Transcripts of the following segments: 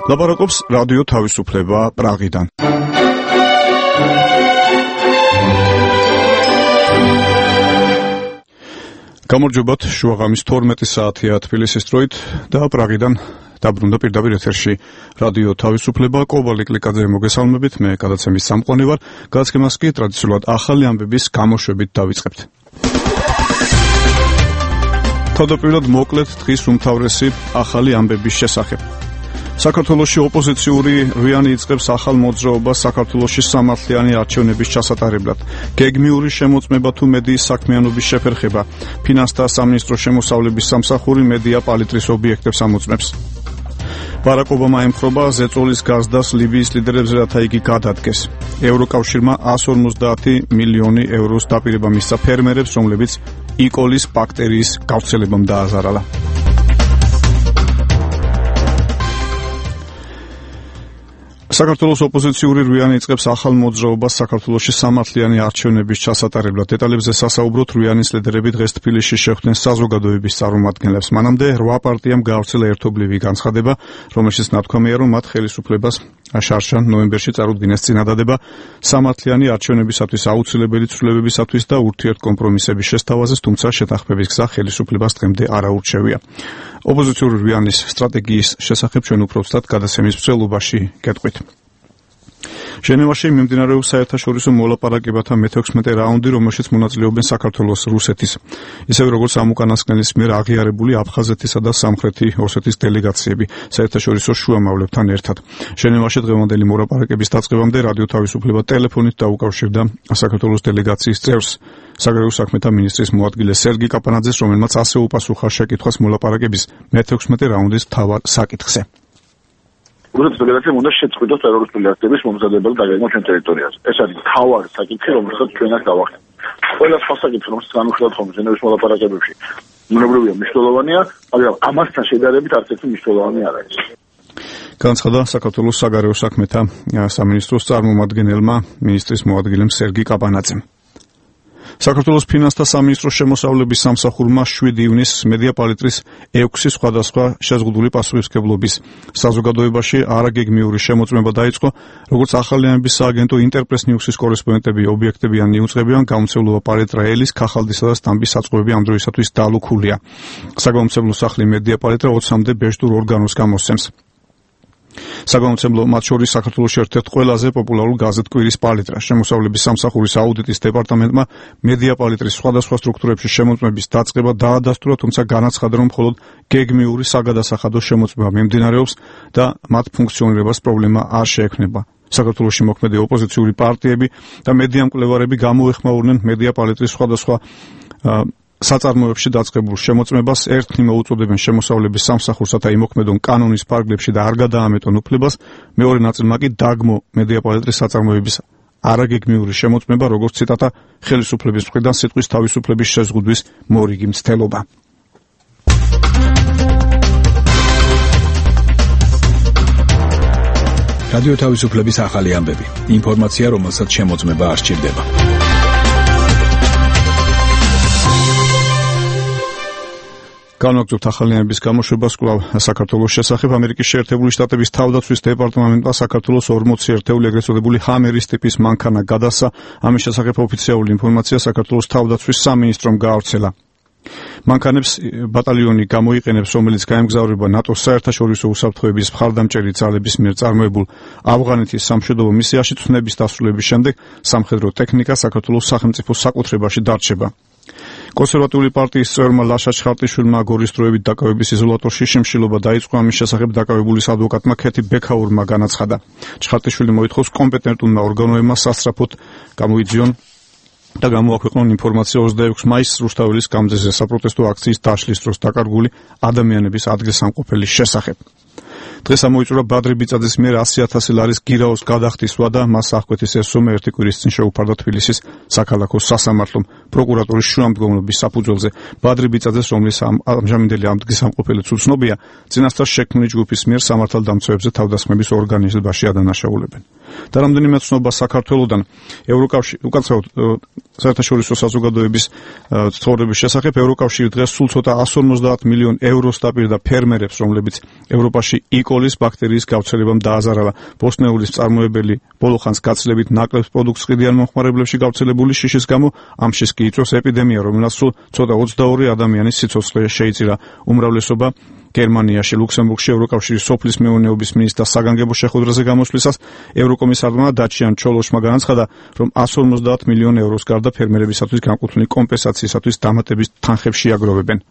ლაპარაკობს რადიო თავისუფლება პრაღიდან. გამარჯობათ, შუაღამის 12 საათია თბილისის დროით და პრაღიდან დაბრუნდა პირდაპირ ეთერში რადიო თავისუფლება. კობალი კლიკაძე მოგესალმებით, მე გადაცემის სამყარო ვარ. გადაცემას კი ტრადიციულად ახალი ამბების გამოშვებით დავიწყებთ. თავდაპირველად მოკლედ დღის უმთავრესი ახალი ამბების შესახებ. საქართველოში ოპოზიციური რვიანი იწყებს ახალ მოძრაობას საქართველოში სამართლიანი არჩევნების ჩასატარებლად. გეგმიური შემოწმება თუ მედიის საქმიანობის შეფერხება. ფინანსთა სამინისტროს შემოსავლების სამსახური მედია პალიტრის ობიექტებს ამოწმებს. ბარაკ ობამა ემხრობა ზეწოლის გაზდას ლიბიის ლიდერებს, რათა იგი გადადგეს. ევროკავშირმა 150 მილიონი ევროს დაპირება მისცა ფერმერებს, რომლებიც იკოლის ბაქტერიის გავრცელებამ დააზარალა. საქართველოს ოპოზიციური რვიანი იწყებს ახალ მოძრაობას საქართველოში სამართლიანი არჩევნების ჩასატარებლად. დეტალებზე სასაუბროთ რვიანის ლიდერები დღეს თბილისში შეხვდნენ საზოგადოების წარმომადგენლებს. მანამდე 8 პარტიამ გაავრცელა ერთობლივი განცხადება, რომელშიც ნათქვამია, რომ მათ ხელისუფლებას შარშან ნოემბერში წარუდგინეს წინადადება სამართლიანი არჩევნებისათვის აუცილებელი ცვლილებებისათვის და ურთიერთ კომპრომისების შესთავაზეს, თუმცა შეთანხმების გზა ხელისუფლებას დღემდე არ აურჩევია. ოპოზიციური რვიანის სტრატეგიის შესახებ ჩვენ უფრო ვსწრაფად გადაცემის მსვლელობაში გეტყვით. ჟენევაში მიმდინარეობს საერთაშორისო მოლაპარაკებათა მე-16 რაუნდი, რომელშიც მონაწილეობენ საქართველოს, რუსეთის, ისევე როგორც ამ უკანასკნელის მიერ აღიარებული აფხაზეთისა და სამხრეთი ოსეთის დელეგაციები საერთაშორისო შუამავლებთან ერთად. ჟენევაში დღევანდელი მოლაპარაკების დაწყებამდე რადიო თავისუფლება ტელეფონით დაუკავშირდა საქართველოს დელეგაციის წევრს, საგარეო საქმეთა მინისტრის მოადგილე სერგი კაპანაძეს, რომელმაც ასე უპასუხა შეკითხვას მოლაპარაკების მე-16 რაუნდის მთავარ საკითხზე. რუსეთის ფედერაციამ უნდა შეწყვიტოს ტერორისტული აქტების მომზადებელი დაგეგმა ჩვენ ტერიტორიაზე. ეს არის მთავარი საკითხი, რომელსაც ჩვენ აქ დავახდით. ყველა სხვა საკითხი, რომელსაც განვიხილავთ ხოლმე ჟენევის მოლაპარაკებებში, უნებრივია მნიშვნელოვანია, მაგრამ ამასთან შედარებით არც ერთი მნიშვნელოვანი არ არის. განცხადა საქართველოს საგარეო საქმეთა სამინისტროს წარმომადგენელმა მინისტრის მოადგილემ სერგი კაპანაძემ. საქართველოს ფინანსთა სამინისტროს შემოსავლების სამსახურმა 7 ივნისს მედია პალიტრის 6 სხვადასხვა შეზღუდული პასუხისმგებლობის საზოგადოებაში არაგეგმიური შემოწმება დაიწყო, როგორც ახალიანების სააგენტო ინტერპრეს ნიუსის კორესპონდენტები ობიექტებიანი იუწყებიან, გამომცემლობა პალიტრა ელის, ქახალდისა და სტამბის საწყობები ამ დროისათვის დალუქულია. საგამომცემლო სახლი მედია პალიტრა 20-მდე ბეჭდურ ორგანოს გამოსცემს. საგამომცემლო მათ შორის საქართველოს ერთ-ერთ ყველაზე პოპულარულ გაზეთ კვირის პალიტრა. შემოსავლების სამსახურის აუდიტის დეპარტამენტმა მედია პალიტრის სხვადასხვა სტრუქტურებში შემოწმების დაწყება დაადასტურა, თუმცა განაცხადა, რომ მხოლოდ გეგმიური საგადასახადო შემოწმება მიმდინარეობს და მათ ფუნქციონირებას პრობლემა არ შეექმნება. საქართველოში მოქმედი ოპოზიციური პარტიები და მედია მკვლევარები გამოეხმაურნენ მედია პალიტრის სხვადასხვა საწარმოებში დაწყებულ შემოწმებას, ერთნი მოუწოდებენ შემოსავლების სამსახურსა და იმოქმედონ კანონის ფარგლებში და არ გადაამეტონ უფლებას, მეორე ნაწილმა კი დაგმო მედია პალიტრის საწარმოების არაგეგმიური შემოწმება, როგორც ციტატა, ხელისუფლების მხრიდან სიტყვის თავისუფლების შეზღუდვის მორიგი მცდელობა. რადიო თავისუფლების ახალი ამბები. ინფორმაცია, რომელსაც შემოწმება არ სჭირდება. განვაგრძობთ ახალიანების გამოშვებას კვლავ საქართველოს შესახებ. ამერიკის შეერთებული შტატების თავდაცვის დეპარტამენტმა საქართველოს 40 ერთეული ეგრეთ წოდებული ჰამერის ტიპის მანქანა გადასცა. ამის შესახებ ოფიციალური ინფორმაცია საქართველოს თავდაცვის სამინისტრომ გაავრცელა. მანქანებს ბატალიონი გამოიყენებს, რომელიც გაემგზავრება ნატოს საერთაშორისო უსაფრთხოების მხარდამჭერი ძალების მიერ წარმოებულ ავღანეთის სამშვიდობო მისიაში. ცნების დასრულების შემდეგ სამხედრო ტექნიკა საქართველოს სახელმწიფო საკუთრებაში დარჩება. კონსერვატიული პარტიის წევრმა ლაშა ჩხარტიშვილმა გორის დროებით დაკავების იზოლატორში შიმშილობა დაიწყო. ამის შესახებ დაკავებულის ადვოკატმა ქეთი ბექაურმა განაცხადა. ჩხარტიშვილი მოითხოვს კომპეტენტურმა ორგანოებმა სასწრაფოდ გამოიძიონ და გამოაქვეყნონ ინფორმაცია 26 მაისს რუსთაველის გამზეზე საპროტესტო აქციის დაშლის დროს დაკარგული ადამიანების ადგილსამყოფელის შესახებ. დღეს ამოიწურა ბადრი ბიწაძის მიერ 100,000 ლარის გირაოს გადახდისვა და მას აღკვეთის ეს სომა ერთი კვირის წინ შეუფარდა თბილისის საქალაქო სასამართლომ პროკურატურის შუამდგომლობის საფუძველზე. ბადრი ბიწაძეს, რომლის ამჟამინდელი ადგილსამყოფელიც უცნობია, წინასწარ შექმნილი ჯგუფის მიერ სამართალდამცავებზე თავდასხმების ორგანიზებაში ადანაშაულებენ. და რამდენიმე ცნობა საქართველოსთან უკაცრავად საერთაშორისო საზოგადოების ცხოვრების შესახებ ევროკავშირი დღეს სულ ცოტა 150 მილიონ ევროს დაპირდა ფერმერებს, რომლებიც ევროპაში იკოლის ბაქტერიის გავრცელებამ დააზარალა. ბოსტნეულის მწარმოებელი ბოლო ხანს გაცილებით ნაკლებ პროდუქტს ყიდიან მომხმარებლებში გავრცელებული შიშის გამო, ამ შიშს კი იწვევს ეპიდემია, რომელსაც სულ ცოტა 22 ადამიანის სიცოცხლე შეიწირა. უმრავლესობა გერმანიაში, ლუქსემბურგში ევროკავშირის სოფლის მეურნეობის მინისტრს საგანგებო შეხვედრაზე გამოსვლისას ევროკომისარმა დაჩიან ჩოლოშმა განაცხადა, რომ 150 მილიონ ევროს გარდა ფერმერებისათვის განკუთვნილი კომპენსაციისათვის დამატების თანხებს შეაგროვებენ.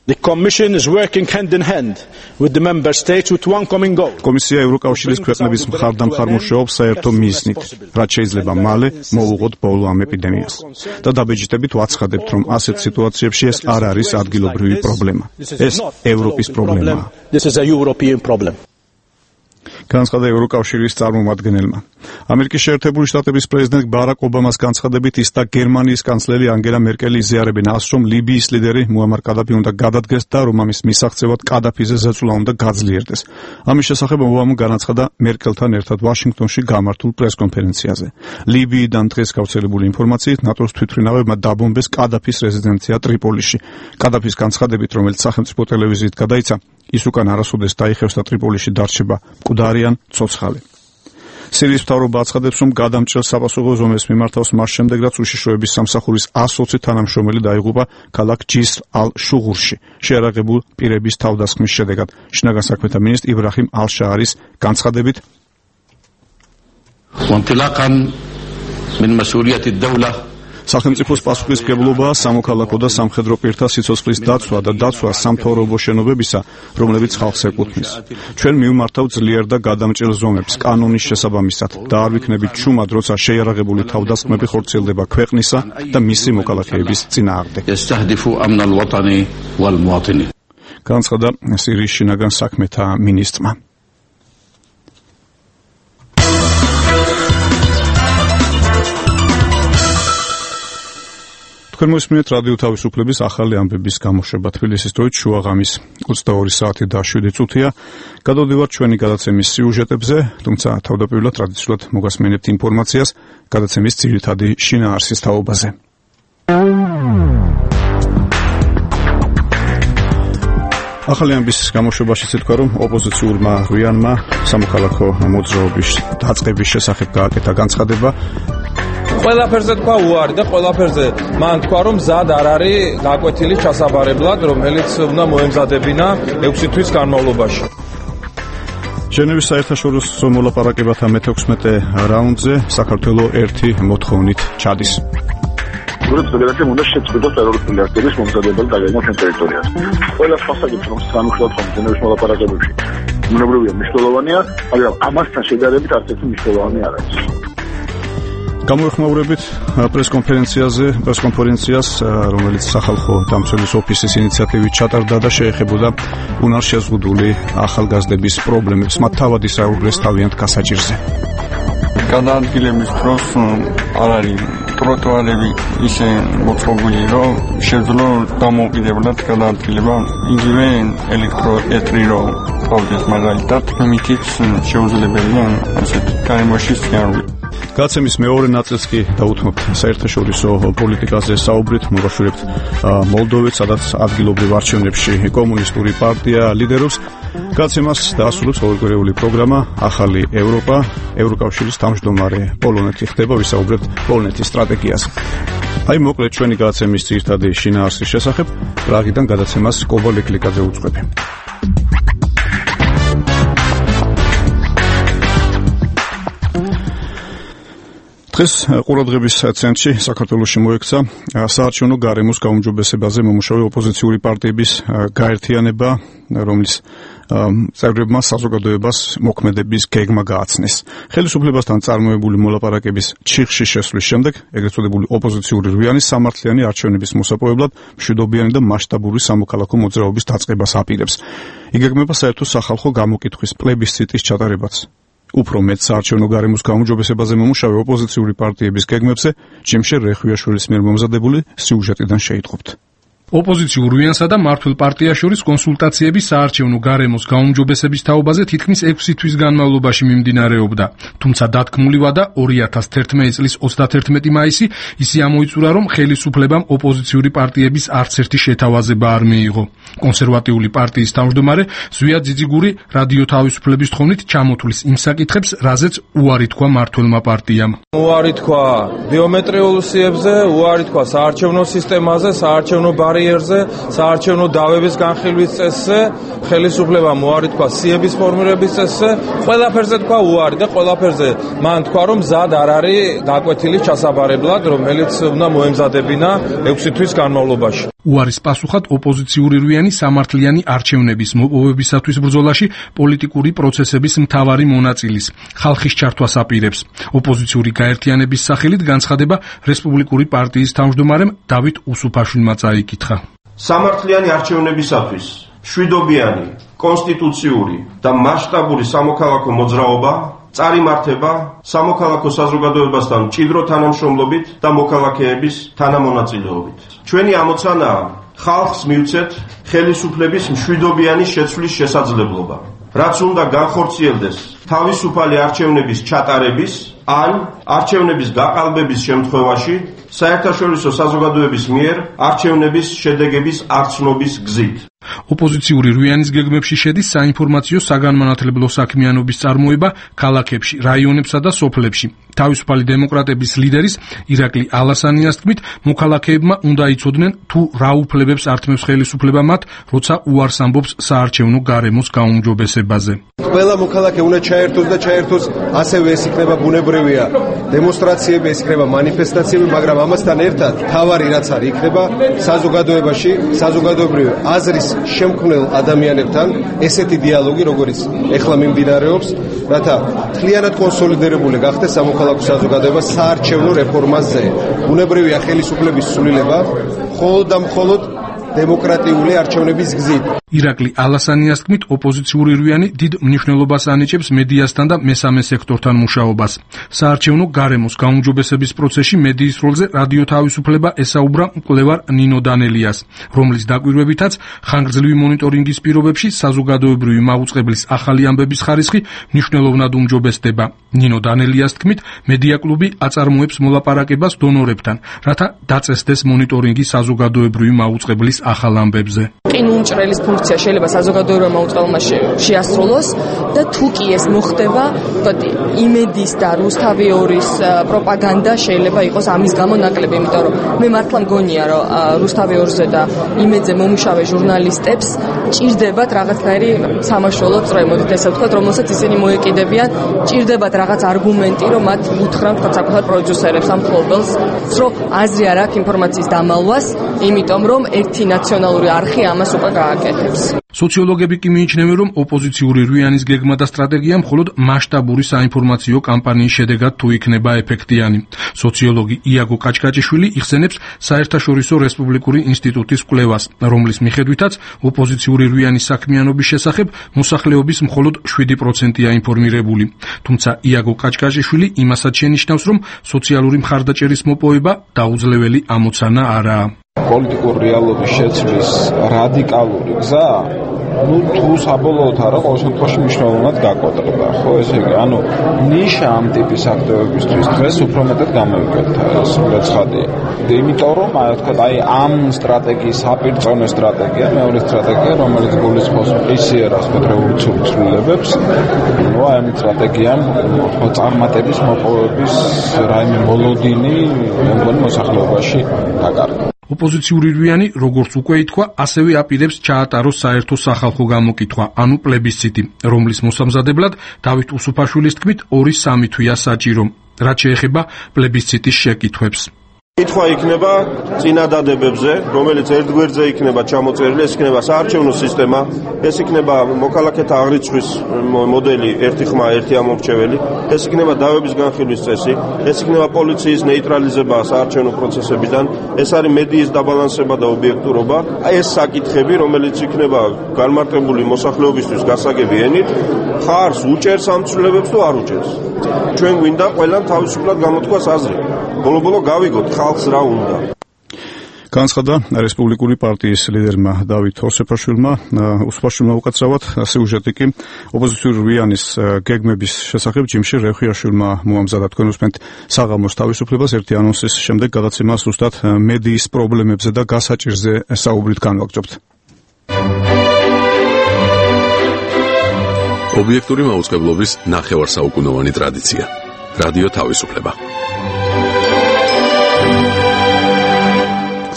The Commission is working hand in hand with the member states with one common goal. კომისია ევროკავშირის ქვეყნების მხარდამხარ მუშაობს საერთო მიზნით, რაც შეიძლება მალე მოუღოთ ბოლო ამ ეპიდემიას. და დაბეჭდებით ვაცხადებთ, რომ ასეთ სიტუაციებში ეს არ არის ადგილობრივი პრობლემა. ეს ევროპის პრობლემაა. This is a European problem. განაცხადა ევროკავშირის წარმომადგენელმა. ამერიკის შეერთებული შტატების პრეზიდენტ ბარაკ ობამას განცხადებით ის და გერმანიის კანცლერი ანგელა მერკელი იზიარებენ ას, რომ ლიბიის ლიდერი მუამარ კადაფი უნდა გადადგეს და რომ ამის მისაღწევად კადაფიზე ზეწოლა უნდა გაძლიერდეს. ამის შესახებ ობამა განაცხადა მერკელთან ერთად ვაშინგტონში გამართულ პრესკონფერენციაზე. ლიბიიდან დღეს გავრცელებული ინფორმაციით ნატოს თვითმფრინავებმა დაბომბეს კადაფის რეზიდენცია ტრიპოლიში. კადაფის განცხადებით, რომელიც სახელმწიფო ტელევიზიით გადაიცა, ის უკან არასოდეს დაიხევს და ტრიპოლიში დარჩება მკვდარი ან ცოცხალი. სირიის მთავრობა აცხადებს, რომ გადამჭრელ საპასუხო ზომებს მიმართავს მას შემდეგ, რაც უშიშროების სამსახურის 120 თანამშრომელი დაიღუპა ქალაქ ჯისრ ალ-შუღურში შეარაღებულ პირების თავდასხმის შედეგად. შინაგან საქმეთა მინისტრი იბრაჰიმ ალ-შაარის განცხადებით, სახელმწიფოს პასუხისმგებლობაა სამოქალაქო და სამხედრო პირთა სიცოცხლის დაცვა და დაცვა სამთავრობო შენობებისა, რომლებიც ხალხს ეკუთვნის. ჩვენ მივმართავთ ძლიერ და გადამჭრელ ზომებს კანონის შესაბამისად და არ ვიქნებით ჩუმად, როცა შეიარაღებული თავდასხმები ხორციელდება ქვეყნისა და მისი მოქალაქეების წინააღმდეგ. განაცხადა სირიის შინაგან საქმეთა მინისტრმა. თქვენ მოსმენთ რადიო თავისუფლების ახალი ამბების გამოშვება. თბილისის დროით შუა ღამის 22 საათი და 7 წუთია. გადავდივართ ჩვენი გადაცემის სიუჟეტებზე, თუმცა თავდაპირველად ტრადიციულად მოგასმენებთ ინფორმაციას გადაცემის ძირითადი შინაარსის თაობაზე. ახალი ამბის გამოშვებაში ითქვა, რომ ოპოზიციურმა რუიანმა სამოქალაქო მოძრაობის დაწყების შესახებ გააკეთა განცხადება. ყველაფერზე თქვა უარი და ყველაფერზე მან თქვა, რომ მზად არ არის გაკვეთილი ჩასაბარებლად, რომელიც უნდა მოემზადებინა 6 თვის განმავლობაში. ჟენევის საერთაშორისო მოლაპარაკებათა მე-16 რაუნდზე საქართველოს ერთი მოთხოვნით ჩადის. რუსეთის ფედერაციამ უნდა შეწყვიტოს ტერორისტული აქტების მომზადებელი დაგეგმა ჩვენ ტერიტორიაზე. ყველა სასაგებრო განუხილავთ ხომ ჟენევის მოლაპარაკებებში. უნებრივია მნიშვნელოვანია, მაგრამ ამასთან შედარებით არც ერთი მნიშვნელოვანი არ არის. გამოეხმაურებით პრესკონფერენციას, რომელიც სახალხო დამცველის ოფისის ინიციატივით ჩატარდა და შეეხებოდა უნარშეზღუდული ახალგაზრდების პრობლემებს, მათ თავად ისაუბრეს თავიანთ გასაჭირზე. გადაადგილების დროს არ არის ტროტუარები ისე მოწყობილი, რომ შეძლო დამოუკიდებლად გადაადგილება, იგივე ელექტროეტრი რო ყავდეს მაგალითად, ამიტიც შეუძლებელია ასეთ გარემოში სიარული. გადაცემის მეორე ნაწილს კი დაუთმობთ საერთაშორისო პოლიტიკაზე საუბრით, მოგაშურებთ მოლდოვეთ, სადაც ადგილობრივ არჩევნებში კომუნისტური პარტია ლიდერობს. გადაცემას დაასრულებს ყოველკვირეული პროგრამა ახალი ევროპა, ევროკავშირის თავმჯდომარე პოლონეთი ხდება, ვისაუბრებთ პოლონეთის სტრატეგიაზე. აი მოკლედ ჩვენი გადაცემის ძირითადი შინაარსის შესახებ, პრაღიდან გადაცემას კობა ლეკლიკაძე უძღვები. დღეს ყურადღების ცენტრში საქართველოში მოექცა საარჩევნო გარემოს გაუმჯობესებაზე მომუშავე ოპოზიციური პარტიების გაერთიანება, რომლის წევრებმა საზოგადოებას მოქმედების გეგმა გააცნეს. ხელისუფლებასთან წარმოებული მოლაპარაკების ჩიხში შესვლის შემდეგ, ეგრეთ წოდებული ოპოზიციური რვიანი სამართლიანი არჩევნების მოსაპოვებლად მშვიდობიანი და მასშტაბური სამოქალაქო მოძრაობის დაწყებას აპირებს. იგეგმება საერთო სახალხო გამოკითხვის პლებისციტის ჩატარებაც. უფრო მეტ საარჩევნო გარემოს გაუმჯობესებაზე მომუშავე ოპოზიციური პარტიების გეგმებზე ჯიმშერ რეხვიაშვილის მიერ მომზადებული სიუჟეტიდან შეიტყობთ. ოპოზიციურ რუიანსა და მართლ პარტიას შორის კონსულტაციები საარჩევნო გარემოს გაუმჯობესების თაობაზე თითქმის 6 თვის განმავლობაში მიმდინარეობდა. თუმცა დათქმული ვადა 2011 წლის 31 მაისი ისე ამოიწურა, რომ ხელისუფლებამ ოპოზიციური პარტიების არც ერთი შეთავაზება არ მიიღო. კონსერვატიული პარტიის თავმჯდომარე ზვია ძიძიგური რადიო თავისუფლების თხოვნით ჩამოთვლის იმ საკითხებს, რაზეც უარი თქვა მართლმა პარტიამ. უარი თქვა ბიომეტრიულ სიებზე, უარი თქვა საარჩევნო სისტემაზე, საარჩევნო ბარიერზე, საარჩევნო დავების განხილვის წესზე, ხელისუფლებამ უარი თქვა სიების ფორმირების წესზე, ყველაფერზე თქვა უარი და ყველაფერზე მან თქვა, რომ მზად არ არის გაკვეთილი ჩასაბარებლად, რომელიც უნდა მოემზადებინა 6 თვის განმავლობაში. უარის პასუხად ოპოზიციური რუიანი სამართლიანი არჩევნების მოპოვებისათვის ბრძოლაში პოლიტიკური პროცესების მთავარი მონაწილის, ხალხის ჩართვას აპირებს. ოპოზიციური გაერთიანების სახელით განცხადება რესპუბლიკური პარტიის თავმჯდომარემ დავით უსუფაშვილმა წაიკითხა. სამართლიანი არჩევნებისათვის მშვიდობიანი, კონსტიტუციური და მასშტაბური სამოქალაქო მოძრაობა წარიმართება სამოქალაქო საზოგადოებასთან მჭიდრო თანამშრომლობით და მოქალაქეების თანამონაწილეობით. ჩვენი ამოცანაა ხალხს მივცეთ ხელისუფლების მშვიდობიანი შეცვლის შესაძლებლობა, რაც უნდა განხორციელდეს თავისუფალი არჩევნების ჩატარების ან არჩევნების გაყალბების შემთხვევაში საერთაშორისო საზოგადოების მიერ არჩევნების შედეგების არცნობის გზით. ოპოზიციური რუიანის გეგმებში შედის საინფორმაციო საგანმანათლებლო საქმიანობის წარმოება ქალაქებში, რაიონებსა და სოფლებში. თავისუფალი დემოკრატების ლიდერის ირაკლი ალასანიას თქმით, მოქალაქეებმა უნდა იცოდნენ თუ რა უფლებებს ართმევს ხელისუფლება მათ, როცა უარს ამბობს საარჩევნო გარემოს გაუმჯობესებაზე. ყველა მოქალაქე უნდა ჩაერთოს და ჩაერთოს ასევე ეს იქნება ბუნებრივია დემონსტრაციები, ეს იქნება მანიფესტაციები, მაგრამ ამასთან ერთად თავარი რაც არის იქნება საზოგადოებაში, საზოგადოებრივი აზრის შემქმნელ ადამიანებთან ესეთი დიალოგი, როგორც ეხლა მიმდინარეობს, რათა მთლიანად კონსოლიდირებული გახდეს სამოქალაქო საზოგადოება საარჩევნო რეფორმაზე. ბუნებრივია ხელისუფლების სულილება მხოლოდ და მხოლოდ დემოკრატიული არჩევნების გზით. ირაკლი ალასანიას თქმით, ოპოზიციური რუიანი დიდ მნიშვნელობას ანიჭებს მედიასთან და მესამე სექტორთან მუშაობას. საარჩევნო გარემოს გაუმჯობესების პროცესში მედიის როლზე რადიო თავისუფლება ესაუბრა მკვლევარ ნინო დანელიას, რომლის დაკვირვებითაც ხანგრძლივი მონიტორინგის პირობებში საზოგადოებრივი მაუწყებლის ახალი ამბების ხარისხი მნიშვნელოვნად უმჯობესდება. ნინო დანელიას თქმით, მედია კლუბი აწარმოებს მოლაპარაკებას დონორებთან, რათა დაწესდეს მონიტორინგი საზოგადოებრივი მაუწყებლის ახალ ამბებზე. ყინულმჭრელის ფუნქცია შეიძლება საზოგადოებრივმა მაუწყებელმა შეასრულოს და თუ კი ეს მოხდება, იმედის და რუსთავიორის პროპაგანდა შეიძლება იყოს ამის გამო ნაკლები, იმიტომ რომ მე მართლა მგონია, რომ რუსთავიორზე და იმედზე მომუშავე ჟურნალისტებს ჭირდებათ რაღაცნაირი სამაშველო წრე, მოდით ესე ვთქვათ, რომელსაც ისინი მოეკიდებიან, ჭირდებათ რაღაც არგუმენტი, რომ მათ უთხრან საკუთარ პროდიუსერებს ამ ხობელს, რომ აზრი არ აქვს ინფორმაციის დამალვას, იმიტომ რომ ერთი ნაციონალური არხი ამას უკვე გააკეთებს. სოციოლოგები კი მიიჩნევენ, რომ ოპოზიციური რუიანის გეგმა და სტრატეგია მხოლოდ მასშტაბური საინფორმაციო კამპანიის შედეგად თუ იქნება ეფექტიანი. სოციოლოგი იაგო კაჭკაჭიშვილი იხსენებს საერთაშორისო რესპუბლიკური ინსტიტუტის კვლევას, რომლის მიხედვითაც ოპოზიციური რუიანის საქმიანობის შესახებ მოსახლეობის მხოლოდ 7%-ია ინფორმირებული. თუმცა იაგო კაჭკაჭიშვილი იმასაც შენიშნავს, რომ სოციალური მხარდაჭერის მოპოვება დაუძლეველი ამოცანა არაა. პოლიტიკური რეალობის შეცვლის რადიკალური გზა თუ საბოლოოდ არა, ყოველ შემთხვევაში მნიშვნელოვნად გაკვეთება, ხო, ესე იგი, ნიშა ამ ტიპის აქტივობისთვის დღეს უფრო მეტად გამოვიკეთა ეს ცხადია. იმიტომ რომ, ამ სტრატეგიის საპირწონე სტრატეგია, მეორე სტრატეგია, რომელიც გულისხმობს პისიერას რევოლუციურ ცვლილებებს, ამ სტრატეგიამ წარმატების მოპოვების რაიმე მოლოდინი მეგონი მოსახლეობაში დაკარგა. ოპოზიციური რუიანი, როგორც უკვე ითქვა, ასევე აპირებს ჩაატაროს საერთო სახალხო გამოკითხვა, ანუ პლებისციტი, რომლის მოსამზადებლად დავით უსუფაშვილის თქმით 2-3 თვეა საჭირო, რაც შეეხება პლებისციტის შეკითხვებს. კითხვა იქნება წინადადებებზე, რომელიც ერთ გვერდზე იქნება ჩამოწერილი, ეს იქნება საარჩევნო სისტემა, ეს იქნება მოქალაქეთა აღრიცხვის მოდელი, ერთი ხმა, ერთი ამორჩეველი, ეს იქნება დავების განხილვის წესი, ეს იქნება პოლიციის ნეიტრალიზება საარჩევნო პროცესებიდან, ეს არის მედიის დაბალანსება და ობიექტურობა, ეს საკითხები, რომელიც იქნება განმარტებული მოსახლეობისთვის გასაგები ენით, ხარს უჭერს ამ ცვლილებებს თუ არ უჭერს. ჩვენ გვინდა ყველამ თავისუფლად გამოთქვას აზრი. ბოლო-ბოლო გავიგოთ ხალხს რა უნდა. განცხადა რესპუბლიკური პარტიის ლიდერმა დავით ოსეფაშვილმა. უსაფაშვილმა უკაცრავად სიუჟეტი კი ოპოზიციური რვიანის გეგმების შესახებ ჯიმში რეხიაშვილმა მოამზადა. თქვენ უსმენთ საღამოს თავისუფლებას ერთი ანონსის შემდეგ გადაცემას ზუსტად მედიის პრობლემებზე და გასაჭირზე საუბრით განვაგრძობთ. ობიექტური მაუწყებლობის ნახევარსაუკუნოვანი ტრადიცია. რადიო თავისუფლება.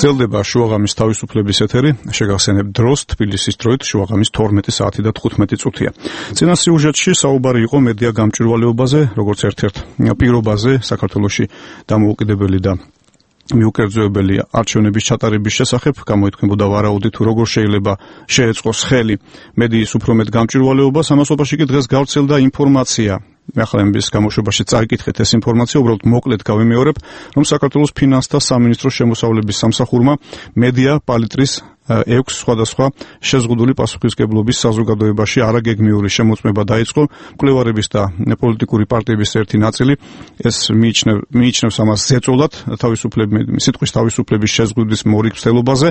გრძელდება შუაღამის თავისუფლების ეთერი, შეგახსენებთ დროს, თბილისის დროით შუაღამის 12 საათი და 15 წუთია. წინა სიუჟეტში საუბარი იყო მედია გამჭვირვალეობაზე, როგორც ერთ-ერთ პირობაზე საქართველოში დამოუკიდებელი და მიუკერძოებელი არჩევნების ჩატარების შესახებ, გამოითქმებოდა ვარაუდი თუ როგორ შეიძლება შეეწყოს ხელი მედიის უფრო მეტ გამჭვირვალეობას. ამასობაში კი დღეს გავრცელდა ინფორმაცია. ახალების გამოშვებაში წაიკითხეთ ეს ინფორმაცია, უბრალოდ მოკლედ გავიმეორებ, რომ საქართველოს ფინანსთა სამინისტროს შემოსავლების სამსახურმა მედია პალიტრის 6 სხვადასხვა შეზღუდული პასუხისმგებლობის საზოგადოებაში არაგეგმიური შემოწმება დაიწყო. მკვლევარების და პოლიტიკური პარტიების ერთი ნაწილი ეს მიიჩნევს ამას ზეწოლად სიტყვის თავისუფლების შეზღუდვის მორიგცელობაზე,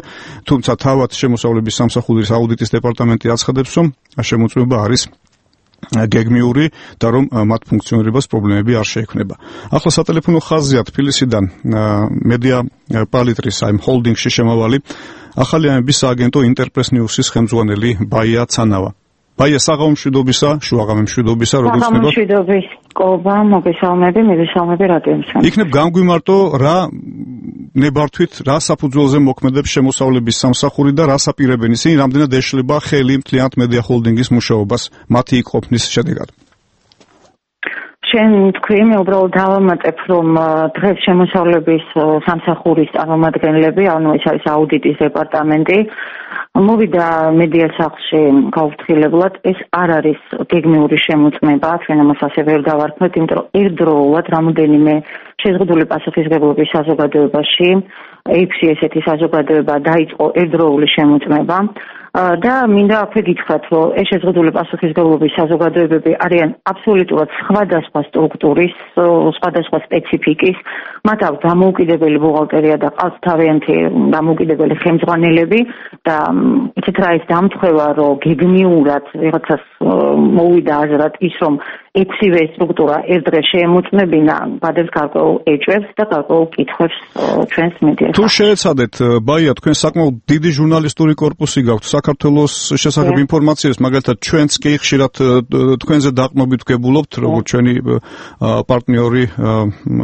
თუმცა თავად შემოსავლების სამსახურის აუდიტის დეპარტამენტი აცხადებს, რომ შემოწმება არის გეგმიური და რომ მათ ფუნქციონირებას პრობლემები არ შეექმნება. ახლა სატელეფონო ხაზია თბილისიდან მედია პალიტრის ჰოლდინგში შემავალი ახალი ამების სააგენტო ინტერპრეს ნიუსის ხელმძღვანელი ბაია ცანავა. ბაია, საღამომშვიდობისა, შუაღამემშვიდობისა, როგორც ხდება? საღამომშვიდობის ყობა, მოგესალმები რადიომსმენელს. იქნებ გამგვიმარტო რა ნებართვით, რა საფუძველზე მოქმედებს შემოსავლების სამსახური და რას აპირებენ ისინი, რამდენად ეშლება ხელი მთლიანად მედია ჰოლდინგის მუშაობას მათი იქ ყოფნის შედეგად? შენ თქვი, მე უბრალოდ დავამატებ, რომ დღეს შემოსავლების სამსახურის წარმომადგენლები, ანუ ეს არის აუდიტის დეპარტამენტი, მოვიდა მედია სახლში გაუფრთხილებლად. ეს არ არის გეგმიური შემოწმება, ჩვენ ამას ასე ვერ დავარქმევთ, იმიტომ რომ ერთდროულად რამოდენიმე შეზღუდული პასუხისმგებლობის საზოგადოებაში 6 ესეთი საზოგადოება დაიწყო ერთდროული შემოწმება. და მინდა აქვე გითხრათ, რომ ეს შეზღუდული პასუხისმგებლობის საზოგადოებები არიან აბსოლუტურად სხვადასხვა სტრუქტურის, სხვადასხვა სპეციფიკის, მათ აქვს დამოუკიდებელი ბუღალტერია და ყავს თავიანთი დამოუკიდებელი ხელმძღვანელები და იცით რა ის დამთხევა, რომ გეგმიურად ვიღაცას მოვიდა აზრად ის, რომ 6-ვე სტრუქტურა ერთ დღეს შეემოწმებინა, გადებს გარკვეულ ეჭვებს და გარკვეულ კითხვებს ჩვენს მედიას. თუ შეეცადეთ, ბაია, თქვენ საკმაოდ დიდი ჟურნალისტური კორპუსი გაქვთ საქართველოს შესახებ ინფორმაციას, მაგალითად ჩვენც კი ხშირად თქვენზე დაყრდნობით ვგებულობთ, როგორც ჩვენი პარტნიორი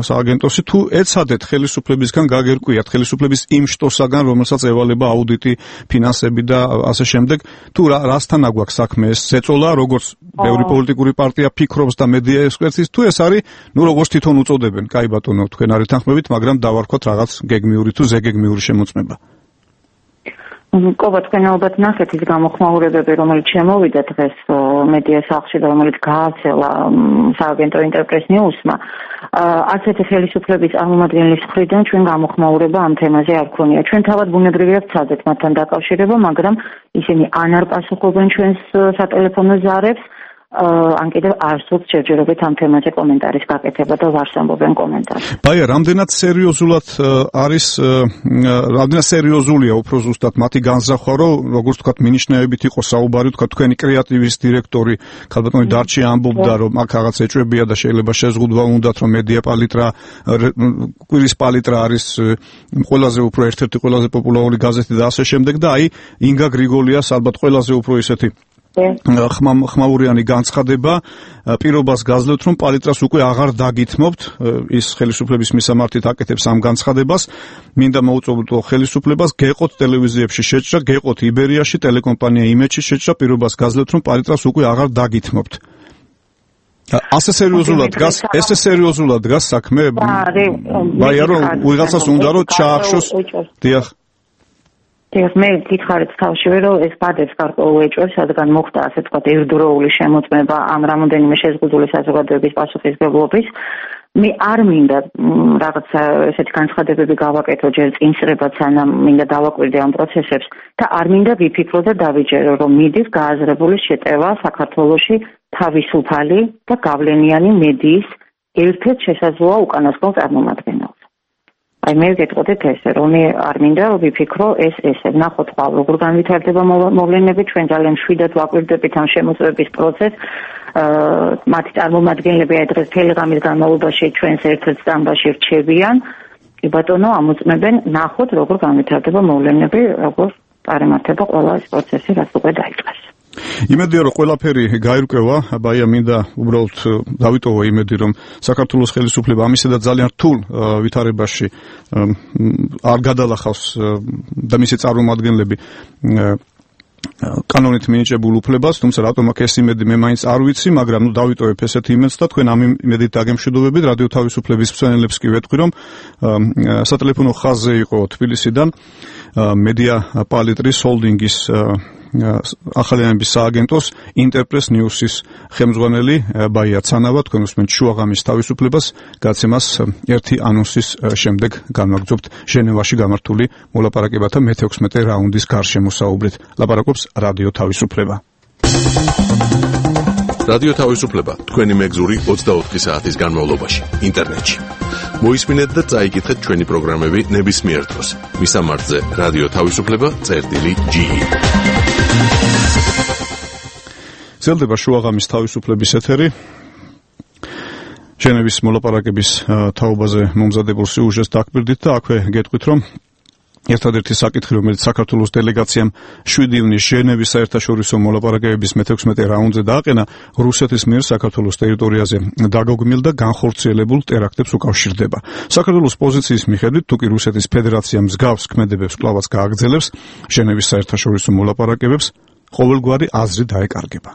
სააგენტოსი, თუ ეცადეთ ხელისუფლებისგან გაგერკვიათ, ხელისუფლების იმ შტოსაგან, რომელსაც ევალება აუდიტი, ფინანსები და ასე შემდეგ, თუ რასთან აგვაქვს საქმე, ეს ზეწოლა, როგორც ბევრი პოლიტიკური პარტია ფიქრობს და მედია ექსპერტის, თუ ეს არის, როგორც თვითონ უწოდებენ, კაი ბატონო, თქვენ არ ეთანხმებით, მაგრამ დავარქვათ რაღაც გეგმიური თუ ზეგეგმიური შემოწმება. ყობა, თქვენ ალბათ ნახეთ ის გამოხმაურებები, რომელიც შემოვიდა დღეს მედია სახლში და რომელიც გაავრცელა სააგენტო ინტერპრეს ნიუსმა. არც ერთი ხელისუფლების წარმომადგენლის მხრიდან ჩვენ გამოხმაურება ამ თემაზე არ ქონია. ჩვენ თავად ბუნებრივია ვცადეთ მათთან დაკავშირება, მაგრამ ისინი ან არ პასუხობენ ჩვენს სატელეფონო ზარებს, ან კიდევ არ სურთ შეჯერებით ამ თემაზე კომენტარის გაკეთება და ვარს ამბობენ კომენტარს. ბაია, რამდენად სერიოზულია უფრო ზუსტად მათი განზრახვა, რომ როგორც თქვათ, მინიშნებით იყო საუბარი, თქვათ, თქვენი კრეატივის დირექტორი ქალბატონი დარჩი ამბობდა, რომ აქ რაღაც ეჭვებია და შეიძლება შეზღუდვა უნდათ, რომ მედია პალიტრა, კვირის პალიტრა არის ყველაზე უფრო ერთ-ერთი ყველაზე პოპულარული გაზეთი და ასე შემდეგ და აი ინგა გრიგოლიას ალბათ ყველაზე უფრო ისეთი ხმაურიანი განცხადება, პირობას გაძლევთ, რომ პალიტრას უკვე აღარ დაგითმობთ, ის ხელისუფლების მისამართით აკეთებს ამ განცხადებას, მინდა მოუწოდო ხელისუფლებას, გეყოთ ტელევიზიებში შეჭრა, გეყოთ იბერიაში, ტელეკომპანია იმედში შეჭრა, პირობას გაძლევთ, რომ პალიტრას უკვე აღარ დაგითმობთ. ასე სერიოზულად დგას საქმე? ბაია, რომ ვიღაცას უნდა რომ ჩაახშოს. დიახ. მე გითხარით თავშივე, რომ ეს ბადებს გარკვეულ ეჭვებს, რადგან მოხდა ასე ვთქვათ ერთდროული შემოწმება ამ რამოდენიმე შეზღუდული საზოგადოების პასუხისმგებლობის. მე არ მინდა რაღაცა ესეთი განცხადებები გავაკეთო ჯერ წინსრებად, სანამ მინდა დავაკვირდე ამ პროცესებს და არ მინდა ვიფიქრო და დავიჯერო, რომ მიდის გააზრებული შეტევა საქართველოში თავისუფალი და გავლენიანი მედიის ერთ-ერთ შესაძლოა უკანასკნელ წარმომადგენელს. აი მე ვგეტყოდეთ ესე, რომ არ მინდა რომ ვიფიქრო ესე. ნახოთ ხვალ როგორ განვითარდება მოვლენები, ჩვენ ძალიან მშვიდად ვაკვირდებით ამ შემოწმების პროცესს. მათი წარმომადგენლები აი დღეს მთელი ღამის განმავლობაში ჩვენს ერთ-ერთ სტამბაში რჩებიან. კი ბატონო, ამოწმებენ, ნახოთ როგორ განვითარდება მოვლენები, როგორ წარმართება ყველა ეს პროცესი, რაც უკვე დაიწყეს. იმედია რომ ყველაფერი გაირკვევა, ბაია მინდა უბრალოდ დავიტოვო იმედი რომ საქართველოს ხელისუფლება ამისედაც ძალიან რთულ ვითარებაში არ გადალახავს და მისი წარმომადგენლები კანონით მინიჭებულ უფლებას, თუმცა რატომ აქ ეს იმედი მე მაინც არ ვიცი, მაგრამ დავიტოვებ ესეთი იმედს და თქვენ ამ იმედით დაგემშვიდობებით. რადიო თავისუფლების მსმენელებს კი ვეთქვი რომ სატელეფონო ხაზზე იყო თბილისიდან მედია პალიტრის ჰოლდინგის ახალიანების სააგენტოს ინტერპრეს ნიუსის ხელმძღვანელი ბაია ცანავა, თქვენ უსმენთ შუაღამის თავისუფლებას, გაცემას ერთი ანონსის შემდეგ განვაგრძობთ ჟენევაში გამართული მოლაპარაკებათა მე-16 რაუნდის გარშემო საუბრით. ლაპარაკობს რადიო თავისუფლება. რადიო თავისუფლება თქვენი მეგზური 24 საათის განმავლობაში ინტერნეტში. მოისმინეთ და წაიკითხეთ ჩვენი პროგრამები ნებისმიერ დროს. მისამართზე რადიო თავისუფლება.ge. ძლდება შუაღამის თავისუფლების ეთერი. ჟენევის მოლაპარაკების თაობაზე მომზადებულ სიუჟეტს დაგვირდით და აქვე გეტყვით რომ ერთადერთი საკითხი, რომელიც საქართველოს დელეგაციამ 7 ივნისს ჟენევის საერთაშორისო მოლაპარაკებების მე-16 რაუნდზე დააყენა, რუსეთის მიერ საქართველოს ტერიტორიაზე დაგეგმილ და განხორციელებულ ტერაქტებს უკავშირდება. საქართველოს პოზიციის მიხედვით, თუკი რუსეთის ფედერაცია მსგავს ქმედებებს კვლავაც გააგრძელებს ჟენევის საერთაშორისო მოლაპარაკებებს, ყოველგვარი აზრი დაეკარგება.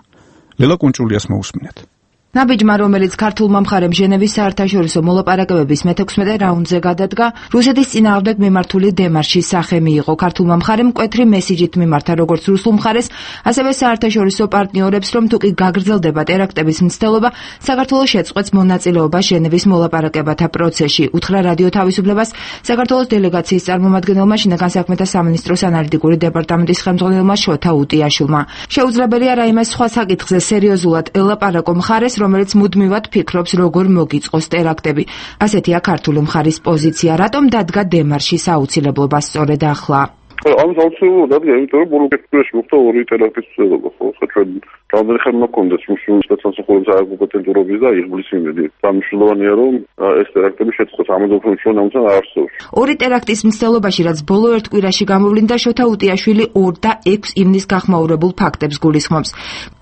ლელა კუნჭულიას მოусმინეთ. ნაბიჯმა, რომელიც ქართულმა მხარემ ჟენევის საერთაშორისო მოლაპარაკებების მე-16 რაუნდზე გადადგა, რუსეთის წინააღმდეგ მიმართული დემარშის სახე მიიღო. ქართულმა მხარემ მკვეთრი მესიჯით მიმართა როგორც რუსულ მხარეს, ასევე საერთაშორისო პარტნიორებს, რომ თუკი გაგრძელდება ტერაქტების მცდელობა, საქართველოს შეწყვეტს მონაწილეობა ჟენევის მოლაპარაკებათა პროცესში. უთხრა რადიო თავისუფლებას საქართველოს დელეგაციის წარმომადგენელმა შინაგან საქმეთა სამინისტროს ანალიტიკური დეპარტამენტის ხელმძღვანელმა შოთა უტიაშვილმა. შეუძლებელია რაიმე სხვა საკითხზე სერიოზულად ელაპარაკო მხარეს, რომელიც მუდმივად ფიქრობს, როგორ მოგიწყოს ტერაქტები. ასეთია ქართული მხარის პოზიცია. რატომ დადგა დემარშის აუცილებლობა სწორედ ახლა? ამის აუცილებლობა დადგა, იმიტომ რომ ბოლო კეთილში მოხდა 2 ტერაქტის მცდელობა, ხო? ჩვენ რამდენი ხანი მაქონდეს მუშაობის სამსახურების არაკომპეტენტურობის და იღბლის იმედი. დამშლოვანია რომ ეს ტერაქტები შეწყოს, ამაზე უფრო ჩვენ ამცან არ არსებობს. 2 ტერაქტის მცდელობაში, რაც ბოლო ერთ კვირაში გამოვლინდა, შოთა უტიაშვილი 2 და 6 ივნისს გახმაურებულ ფაქტებს გულისხმობს.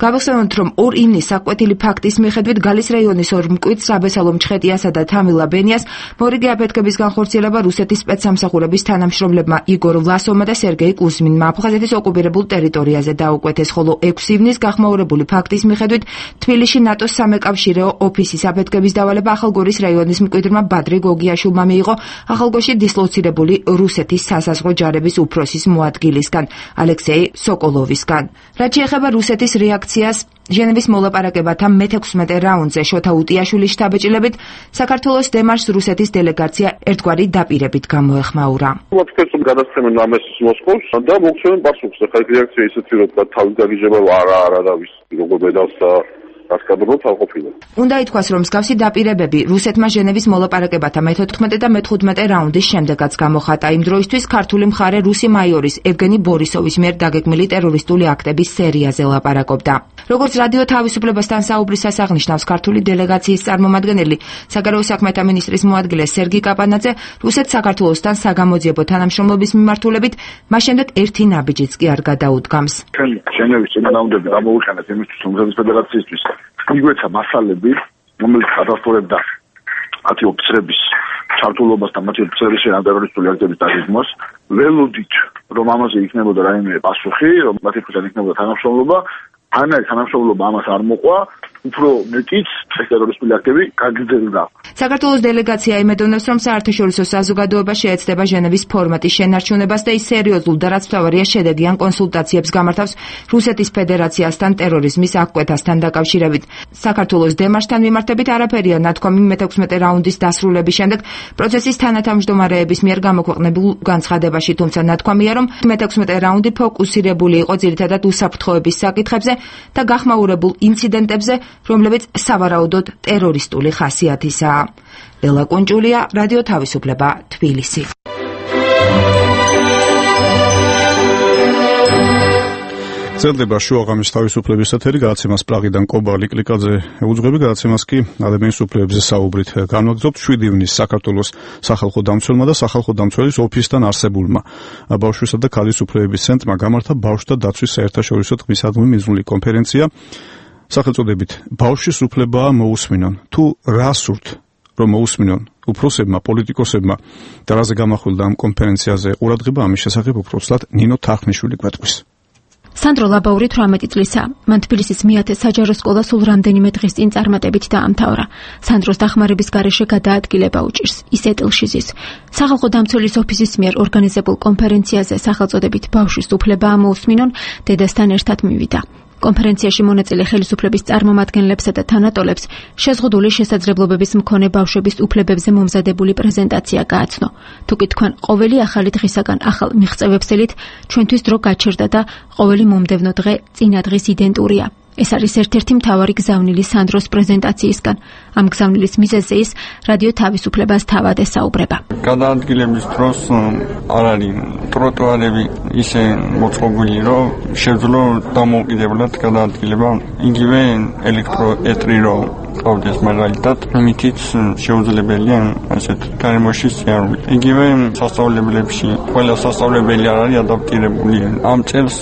გავახსენოთ, რომ 2 ივნისს საკვეთილი ფაქტის მიხედვით გალის რაიონის 2 მკვიდრ საბესალო მჩხეტიასა და თამილა ბენიას მორიგი აფეთქების განხორციელება რუსეთის სპეცსამსახურების თანამშრომლებმა იგორ ვლასოვმა და სერგეი კუზმინმა აფხაზეთის ოკუპირებულ ტერიტორიაზე დაუკვეთეს, ხოლო 6 ივნისს გახმაურებული ფაქტის მიხედვით თბილისში ნატოს სამეკავშირეო ოფისის აფეთქების დავალება ახალგორის რაიონის მკვიდრმა ბადრი გოგიაშვილმა მიიღო ახალგორში დისლოცირებული რუსეთის სასაზღვრო ჯარების უფროსის მოადგილისგან ალექსეი სოკოლოვისგან. რაც შეეხება რუსეთის რეაქციას ჟენევის მოლაპარაკებათა მე-16 რაუნდზე შოთა უტიაშვილის შთაბეჭდილებით, საქართველოს დემარშს რუსეთის დელეგაცია ერთგვარი დაპირებით გამოეხმაურა. მოცემენ გადასცემენ ამას მოსკოვს და მოგცემენ პასუხს. ხა რეაქცია ისეთი რომ თავი გაგიჟება არა და ვის როგორ ბედავს და გასკადროთ აღყოფილა. უნდა ითქვას, რომ მსგავსი დაპირებები რუსეთმა ჟენევის მოლაპარაკებათა მე-14 და მე-15 რაუნდის შემდეგაც გამოხატა. იმ დროისთვის ქართული მხარე რუსი მაიორის ევგენი ბორისოვის მიერ დაგეგმილი ტერორისტული აქტების სერიაზე ლაპარაკობდა. როგორც რადიო თავისუფლებასთან საუბრის აღნიშნავს ქართული დელეგაციის წარმომადგენელი, საგარეო საქმეთა მინისტრის მოადგილე სერგი კაპანაძე, რუსეთს საქართველოსთან საგამოძიებო თანამშრომლობის მიმართულებით მას შემდეგ ერთი ნაბიჯიც კი არ გადაუდგამს. ჩვენ ჟენევის წინააღმდეგ გამოვიყენეთ იმისთვის, რომ რუსეთის ფედერაციისთვის იგვეცა მასალები, რომელიც ადასტურებდა 10 ოფიცრების ჩართულობას და მათი ოფიცრების ტერორისტული აქტების დაგეგმვას. ველოდით, რომ ამაზე იქნებოდა რაიმე პასუხი, რომ მათი ფუძად იქნებოდა თანამშრომლობა, ანაი თანამშრომლობა ამას არ მოყვა, უფრო მეტიც ტერორისტული აქტები გაგრძელდა. საქართველოს დელეგაცია იმედოვნებს, რომ საერთაშორისო საზოგადოება შეეცდება ჟენევის ფორმატის შენარჩუნებას და ის სერიოზულ და რაც მთავარია შედეგიან კონსულტაციებს გამართავს რუსეთის ფედერაციასთან ტერორიზმის აღკვეთასთან დაკავშირებით. საქართველოს დემარშთან მიმართებით არაფერია ნათქვამი მე-16 რაუნდის დასრულების შემდეგ პროცესის თანათავმჯდომარეების მიერ გამოქვეყნებულ განცხადებაში, თუმცა ნათქვამია, რომ მე-16 რაუნდი ფოკუსირებული იყო ძირითადად უსაფრთხოების საკითხებზე და გახმაურებულ ინციდენტებზე, რომლებიც სავარაუდოდ ტერორისტული ხასიათისაა. ლელა კუნჭულია, რადიო თავისუფლება, თბილისი. წერდება შუაღამის თავისუფლების ეთერი, გადაცემას პრაღიდან კობა ლიკლიკაძე უძღვები, გადაცემას კი ადამიანის უფლებებზე საუბრით განვაგრძობთ 7 ივნის საქართველოს სახალხო დამცველმა და სახალხო დამცველის ოფისთან არსებულმა ბავშვისა და ქალის უფლებების ცენტრმა გამართა ბავშვთა დაცვის საერთაშორისო დღისადმი მიზნული კონფერენცია სახელწოდებით ბავშვის უფლებაა მოусმინონ. თუ რა სურთ რომ მოусმინონ უფროსებმა, პოლიტიკოსებმა და რაზე გამახვილდა ამ კონფერენციაზე ყურადღება, ამის შესახებ უბრალოდ ნინო თარხნიშვილი გვეტყვის. სანდრო ლაბაური 18 წლისაა. მან თბილისის მეათე საჯარო სკოლა სულ რამდენიმე დღის წინ წარმატებით დაამთავრა. სანდროს დახმარების გარეშე გადაადგილება უჭირს. ის ეტილში ზის. სახალხო დამცველის ოფისის მიერ ორგანიზებულ კონფერენციაზე სახელწოდებით ბავშვის უფლებაა მოусმინონ დედასთან ერთად მივიდა. კონფერენციაში მონაწილე ხელისუფლების წარმომადგენლებსა და თანატოლებს შეზღუდული შესაძლებლობების მქონე ბავშვების უფლებებზე მომზადებული პრეზენტაცია გააცნო. თუკი თქვენ ყოველი ახალი დღისაგან ახალ მიღწევებსელით ჩვენთვის დრო გაჩერდა და ყოველი მომდევნო დღე წინა დღის იდენტურია. ეს არის ერთ-ერთი მთავარი გზავნილი სანდროს პრეზენტაციისგან. ამ გზავნილის მიზეზზე ის რადიო თავისუფლებას თავად ესაუბრება. გადაადგილების დროს არ არის ტროტუარები ისე მოწყობილი, რომ შეძლო დამოუკიდებლად გადაადგილება. იგივე ელექტროეტრი რომ ყავდეს მაგალითად, ამითიც შეუძლებელია ასეთ გარემოში სიარული. იგივე სასწავლებლებში ყველა სასწავლებელი არ არის ადაპტირებული. ამ წელს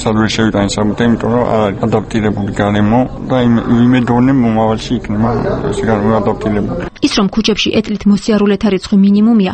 სადღაც შევიტანე საბუთე, იმიტომ რომ არ არის ადაპტირებული გარემო და იმედოვნე მომავალში იქნება ეს გარემო ადაპტირებული. ის რომ ქუჩებში ეტლით მოსიარულეთა რიცხვი მინიმუმია,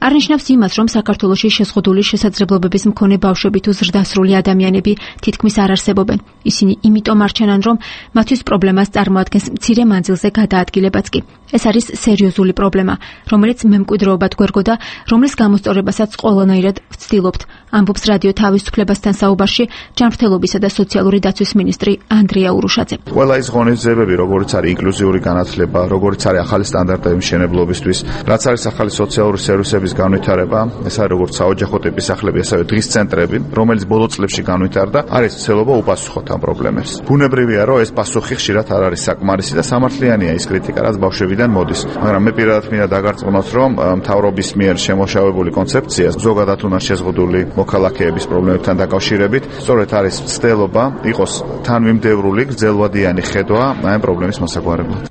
არ ნიშნავს იმას, რომ საქართველოში შეზღუდული შესაძლებლობების მქონე ბავშვები თუ ზრდასრული ადამიანები თითქმის არ არსებობენ. ისინი იმიტომ არჩენან, რომ მათთვის პრობლემას წარმოადგენს მცირე მანძილზე გადაადგილებაც კი. ეს არის სერიოზული პრობლემა, რომელიც მემკვიდრეობად გვერგო და რომლის გამოსწორებასაც ყველანაირად ვცდილობთ, ამბობს რადიო თავისუფლებასთან საუბარში ჯანმრთელობისა და სოციალური დაცვის მინისტრი ანდრია ურუშაძე. ყველა ის ღონისძიებები, როგორც არის ინკლუზიური განათლება, როგორც არის ახალი სტანდარტები მშენებლობისთვის, რაც არის ახალი სოციალური სერვისების განვითარება, ეს არის როგორც საოჯახო ტიპის სახლები, ასევე დღის ცენტრები, რომელიც ბოლო წლებში განვითარდა, არის ცდილობა უპასუხოთ ამ პრობლემებს. ბუნებრივია, რომ ეს პასუხი ხშირად არ არის საკმარისი და სამართლიანია ის კრიტიკა, რაც ბავშვებიდან მოდის. მაგრამ მე პირადად მინდა დაგარწმუნოთ, რომ მთავრობის მიერ შემოშავებული კონცეფცია ზოგადად უნდა შეზღუდული მოქალაქეების პრობლემებთან დაკავშირებით, სწორედ არის ცდილობა იყოს თანმიმდევრული გრძელვადიანი ხედვა ამ პრობლემის მოსაგვარებლად.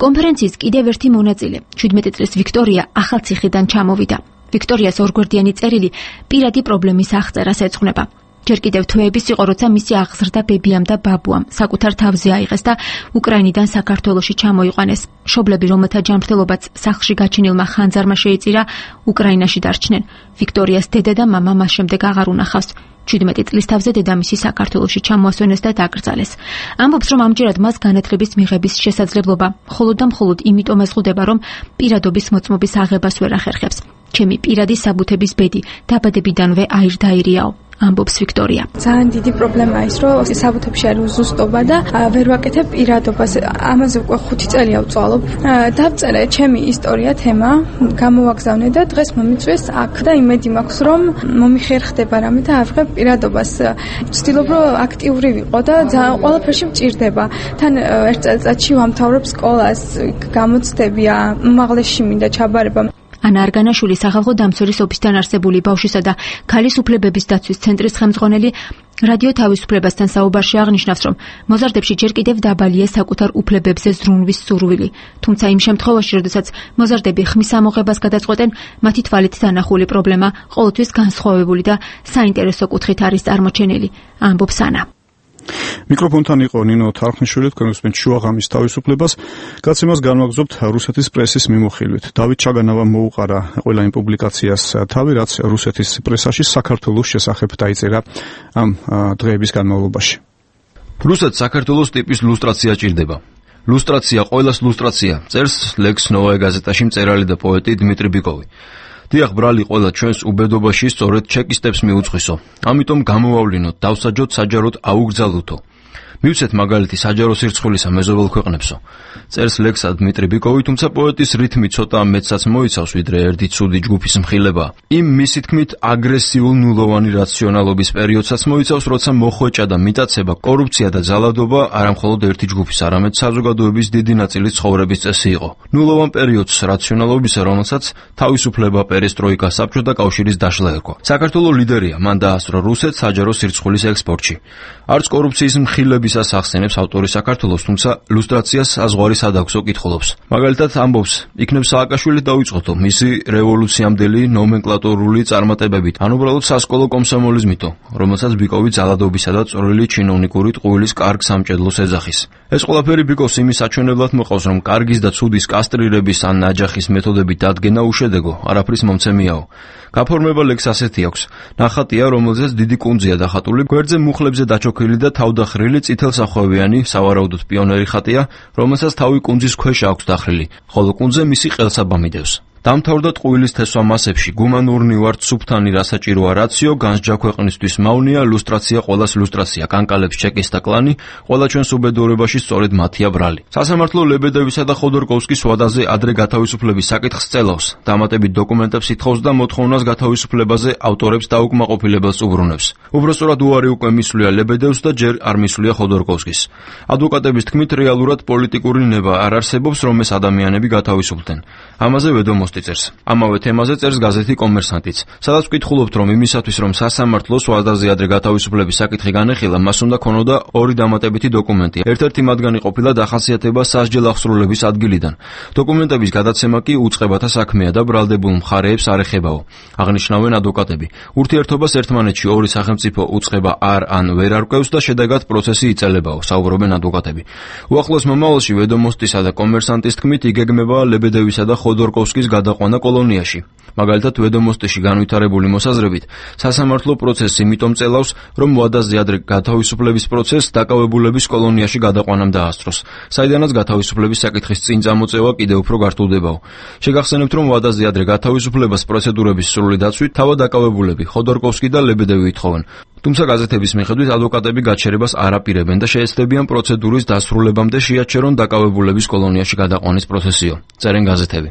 კონფერენციის კიდევ ერთი მონაწილე, 17 წლის ვიქტორია ახალციხიდან ჩამოვიდა. ვიქტორიას ორგვერდიანი წერილი პირადი პრობლემის აღწერას ეძღვნება. ჯერ კიდევ თვეების იყო, როცა მისი აღზრდა ბებიამ და ბაბუამ საკუთარ თავზე აიღეს და უკრაინიდან საქართველოში ჩამოიყვანეს. მშობლები, რომელთა ჯანმრთელობაც სახლში გაჩენილმა ხანძარმა შეიწირა, უკრაინაში დარჩნენ. ვიქტორიას დედა და მამა მას შემდეგ აღარ უნახავს. 17 წლის თავზე დედამისი საქართველოში ჩამოასვენეს და დაკრძალეს. ამბობს, რომ ამჯერად მას განათლების მიღების შესაძლებლობა მხოლოდ და მხოლოდ იმიტომ ეზღუდება, რომ პირადობის მოწმობის აღებას ვერ ახერხებს. ჩემი პირადი საბუთების ბედი დაბადებიდანვე აირდაირიაო. ამბობს ვიქტორია. ძალიან დიდი პრობლემაა ის, რომ საბუთებში არის უზუსტობა და ვერ ვაკეთებ პირადობას. ამაზე უკვე 5 წელია ვწვალობ. დავწერე ჩემი ისტორია თემა, გამოვაგზავნე და დღეს მომიწვიეს აქ და იმედი მაქვს, რომ მომიხერხდება რამე და ავიღებ პირადობას. ვცდილობ, რომ აქტიური ვიყო და ძალიან ყველაფერში მჭირდება. თან ერთ წელიწადში ვამთავრებ სკოლას, გამოცდებია, უმაღლესში მინდა ჩაბარება. ანა არგანაშვილი სახალხო დამცველის ოფისთან არსებული ბავშვისა და ქალის უფლებების დაცვის ცენტრის ხელმძღვანელი რადიო თავისუფლებასთან საუბარში აღნიშნავს, რომ მოზარდებში ჯერ კიდევ დაბალია საკუთარ უფლებებზე ზრუნვის სურვილი. თუმცა იმ შემთხვევაში, როდესაც მოზარდები ხმის ამოღებას გადაწყვეტენ, მათი თვალით დანახული პრობლემა ყოველთვის განსხვავებული და საინტერესო კუთხით არის წარმოჩენილი, ამბობს ანა. მიკროფონთან იყო ნინო თარხნიშვილი, თქვენ უსმენთ შუაღამის თავისუფლებას. გადაცემას განვაგრძობთ რუსეთის პრესის მიმოხილვით. დავით ჩაგანავამ მოუყარა ყველა იმ პუბლიკაციას თავი, რაც რუსეთის პრესაში საქართველოს შესახებ დაიწერა ამ დღეების განმავლობაში. რუსეთს საქართველოს ტიპის ლუსტრაცია ჭირდება. ლუსტრაცია ყოველას ლუსტრაცია, წერს ლექს ნოვაე გაზეტაში მწერალი და პოეტი დმიტრი ბიკოვი. დიახ, ბრალი, ყველა ჩვენს უბედობაში სწორედ ჩეკისტებს მიუძღვისო. ამიტომ გამოვავლინოთ, დავსაჯოთ, საჯაროდ აუგზავნოთო. მივცეთ მაგალითი საჯარო სირცხვილისა მეზობელ ქვეყნებსო. წერს ლექსა დმიტრი ბიკოვი, თუმცა პოეტის რითმი ცოტა მეცაც მოიცავს, ვიდრე ერთი ცუდი ჯგუფის მხილება. იმ მისი თქმით აგრესიულ ნულოვანი რაციონალობის პერიოდსაც მოიცავს, როცა მოხვეჭა და მიტაცება, კორუფცია და ძალადობა არამხოლოდ ერთი ჯგუფის, არამედ საზოგადოების დიდი ნაწილის ცხოვრების წესი იყო. ნულოვან პერიოდს რაციონალობისა, რომელსაც თავისუფლება, პერესტროიკა, საბჭოთა კავშირის დაშლა ერქვა. საქართველოს ლიდერია, მან დაასწრო რუსეთს საჯარო სირცხვილის ექსპორტში. არც კორუფციის მხილებისას ახსენებს ავტორი საქართველოს, თუმცა ლუსტრაციას საზღვარი სადაქვსო კითხულობს. მაგალითად ამბობს, იქნებ სააკაშვილი დაიწყოთო მისი რევოლუციამდელი ნომენკლატურული წარმატებებით, ან უბრალოდ სასკოლო კომსომოლიზმითო, რომელსაც ბიკოვი ძალადობისა და წვრილი ჩინოვნიკური ტყუილის კარგ სამჭედლოს ეძახის. ეს ყველაფერი ბიკოვს იმის საჩვენებლად მოყავს, რომ კარგის და ცუდის კასტრირების ან ნაჯახის მეთოდებით დადგენა უშედეგო, არაფრის მომცემიაო. გაფორმება ლექს ასეთი აქვს. ნახატია, რომელზეც დიდი კუნძია დახატული, გვერდზე მუხლებზე დაჩოქილი და თავდახრილი წითელსახვევიანი, სავარაუდოდ პიონერი ხატია, რომელსაც თავი კუნძის ქვეშ აქვს დახრილი, ხოლო კუნძზე მისი ყელსაბამი დევს. დამთავრდა ტყუილის თესვა მასებში, გუმანურნი ვართ სუფთანი რასაჭიროა რაციო, განსჯა ქვეყნისთვის მავნია, ლუსტრაცია ყველას ლუსტრაცია, კანკალებს ჩეკის და კლანი, ყველა ჩვენს უბედურებაში სწორედ მათია ბრალი. სასამართლო ლებედევისა და ხოდორკოვსკის ვადაზე ადრე გათავისუფლების საკითხს წელავს, დამატებით დოკუმენტებს ითხოვს და მოთხოვნას გათავისუფლებაზე ავტორებს დაუკმაყოფილებელს უბრუნებს. უბრალოდ უარი უკვე მისვლია ლებედევს და ჯერ არ მისვლია ხოდორკოვსკის. ადვოკატების თქმით, რეალურად პოლიტიკური ნება არ არსებობს, რომ ეს ადამიანები გათავისუფლდნენ. ამაზე ვედომოსტი წერს. ამავე თემაზე წერს გაზეთი კომერსანტიც, სადაც ვკითხულობთ, რომ იმისათვის, რომ სასამართლოს ვადაზე ადრე გათავისუფლების საკითხი განეხილა, მას უნდა ქონოდა ორი დამატებითი დოკუმენტი. ერთ-ერთი მათგანი ყოფილა დახასიათება სასჯელ აღსრულების ადგილიდან. დოკუმენტების გადაცემა კი უწყებათა საქმეა და ბრალდებულ მხარეებს არ ეხებაო. აღნიშნავენ ადვოკატები. ურთიერთობას ერთმანეთში ორი სახელმწიფო უწყება არ ან ვერ არკვევს და შედეგად პროცესი იწელებაო, საუბრობენ ადვოკატები. უახლოს მომავალში ვედომოსტისა და კომერსანტის თქმით იგეგმება ლებედევისა და ხოდორკოვსკის გადაყვანა კოლონიაში. მაგალითად, ვედომოსტიში განვითარებული მოსაზრებით, სასამართლო პროცესს იმიტომ წელავს, რომ ვადაზე ადრე გათავისუფლების პროცესს დაკავებულების კოლონიაში გადაყვანამ დაასწროს, საიდანაც გათავისუფლების საკითხის წინ წამოწევა კიდევ უფრო გართულდებაო. შეგახსენებთ, რომ ვადაზე ადრე გათავისუფლებას პროცედურების სრული დაცვით თავად დაკავებულები ხოდორკოვსკი და ლებედევი ითხოვენ. თუმცა გაზეთების მიხედვით ადვოკატები გაჩერებას არ აპირებენ და შეეცდებიან პროცედურის დასრულებამდე შეაჩერონ დაკავებულების კოლონიაში გადაყვანის პროცესიო. წერენ გაზეთები.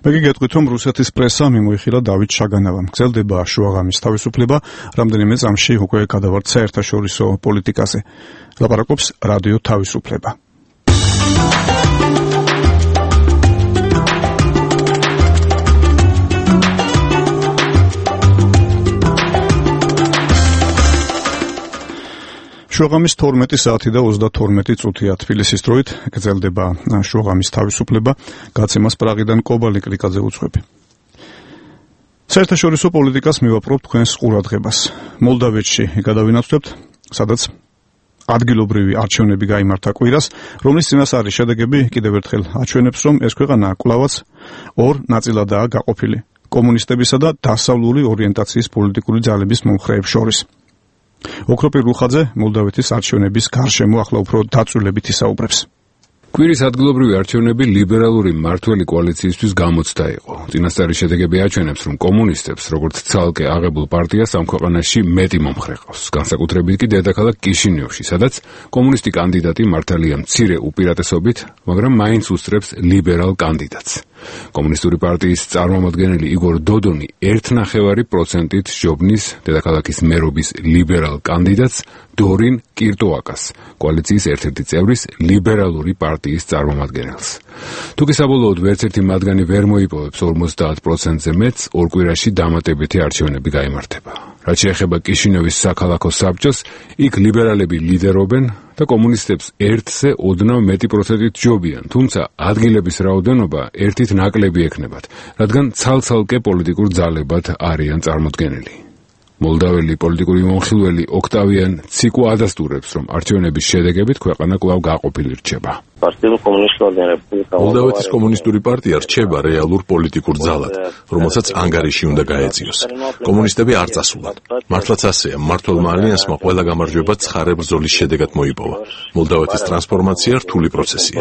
მე გეტყვით, რომ რუსეთის პრესა მიმოიხილა დავით შაგანავამ. გრძელდება შუაღამის თავისუფლება, რამდენიმე წამში უკვე გადავართ საერთაშორისო პოლიტიკაზე. ლაპარაკობს რადიო თავისუფლება. შუაღამის 12 საათი და 32 წუთია თბილისის დროით გრძელდება შუაღამის თავისუფლება, გაცემას პრაღიდან კობალი კრიკაძე უძღვები. საერთაშორისო პოლიტიკას მივაპყრობთ თქვენს ყურადღებას. მოლდავეთში გადავინაცვლებთ, სადაც ადგილობრივი არჩევნები გაიმართა კვირას, რომლის წინასწარი შედეგები კიდევ ერთხელ აჩვენებს, რომ ეს ქვეყანა კვლავაც ორ ნაწილადაა გაყოფილი: კომუნისტებისა და დასავლური ორიენტაციის პოლიტიკური ძალების მომხრეებს შორის. ოქროპირ რუხაძე მოლდავეთის არჩევნების გარშემო ახლა უფრო დაწვრილებით ისაუბრებს. კვირის ადგილობრივი არჩევნები ლიბერალური მმართველი კოალიციისთვის გამოცდა იყო. წინასწარი შედეგები აჩვენებს, რომ კომუნისტებს, როგორც ცალკე აღებულ პარტიას, ამ ქვეყანაში მეტი მომხრე ყავს. განსაკუთრებით კი დედაქალაქ კიშინიოვში, სადაც კომუნისტი კანდიდატი მართალია მცირე უპირატესობით, მაგრამ მაინც უსწრებს ლიბერალ კანდიდატს. კომუნისტური პარტიის წარმომადგენელი იგორ დოდონი 1.5%-ით ჯობნის დედაქალაქის მერობის ლიბერალ კანდიდატს დორინ კირტოაკას, კოალიციის ერთ-ერთი წევრის ლიბერალური პარტიის წარმომადგენელს. თუკი საბოლოოდ ვერც ერთი მათგანი ვერ მოიპოვებს 50%-ზე მეტს, ორ კვირაში დამატებითი არჩევნები გაიმართება. რაც შეეხება კიშინიოვის საქალაქო საბჭოს, იქ ლიბერალები ლიდერობენ და კომუნისტებს 1-ზე ოდნავ მეტი პროცენტით ჯობიან, თუმცა ადგილების რაოდენობა ერთით ნაკლები ექნებათ, რადგან ცალ-ცალკე პოლიტიკურ ძალებად არიან წარმოდგენილი. მოლდაველი პოლიტიკური მომხილველი ოქტავიან ციკო ადასტურებს, რომ არჩევნების შედეგებით ქვეყანა კვლავ გაყოფილი რჩება. მოლდავეთის კომუნისტური პარტია რჩება რეალურ პოლიტიკურ ძალად, რომელსაც ანგარიში უნდა გაეწიოს. კომუნისტები არ წასულან. მართლაც ასეა, მმართველმა ალიანსმა ყველა გამარჯვება ცხარე ბრძოლის შედეგად მოიპოვა. მოლდავეთის ტრანსფორმაცია რთული პროცესია.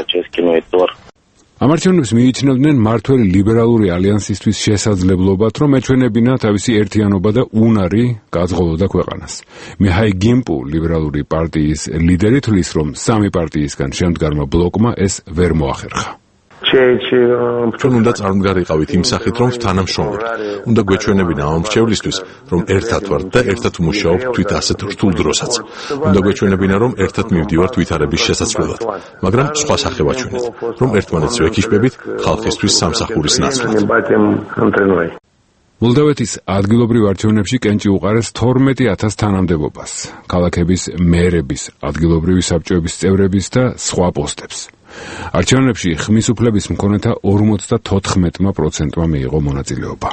ამ არჩევნებს მიიჩნევდნენ მმართველი ლიბერალური ალიანსისთვის შესაძლებლობად, რომ ეჩვენებინა თავისი ერთიანობა და უნარი გაძღოლოდა ქვეყანას. მიჰაი გიმპუ, ლიბერალური პარტიის ლიდერი, თვლის, რომ სამი პარტიისგან შემდგარმა ბლოკმა ეს ვერ მოახერხა. ჩვენ უნდა წარმდგარიყავით იმ სახით, რომ თანამშრომლობთ. უნდა გვეჩვენებინა ამ მრჩევლისთვის, რომ ერთად ვართ და ერთად ვმუშაობთ თვით ასეთ რთულ დროსაც. უნდა გვეჩვენებინა, რომ ერთად მივდივართ ვითარების შესაძლებლად, მაგრამ სხვა სახე ვაჩვენეთ, რომ ერთმანეთს ვეკიშებებით ხალხისთვის სამსახურის ნაცვლად. მოლდავეთის ადგილობრივ არჩევნებში კენჭი უყარეს 12,000 თანამდებობას, ქალაქების მერების, ადგილობრივი საბჭოების წევრების და სხვა პოსტებს. არჩევნებში ხმის უფლების მქონეთა 54%-მა მიიღო მონაწილეობა.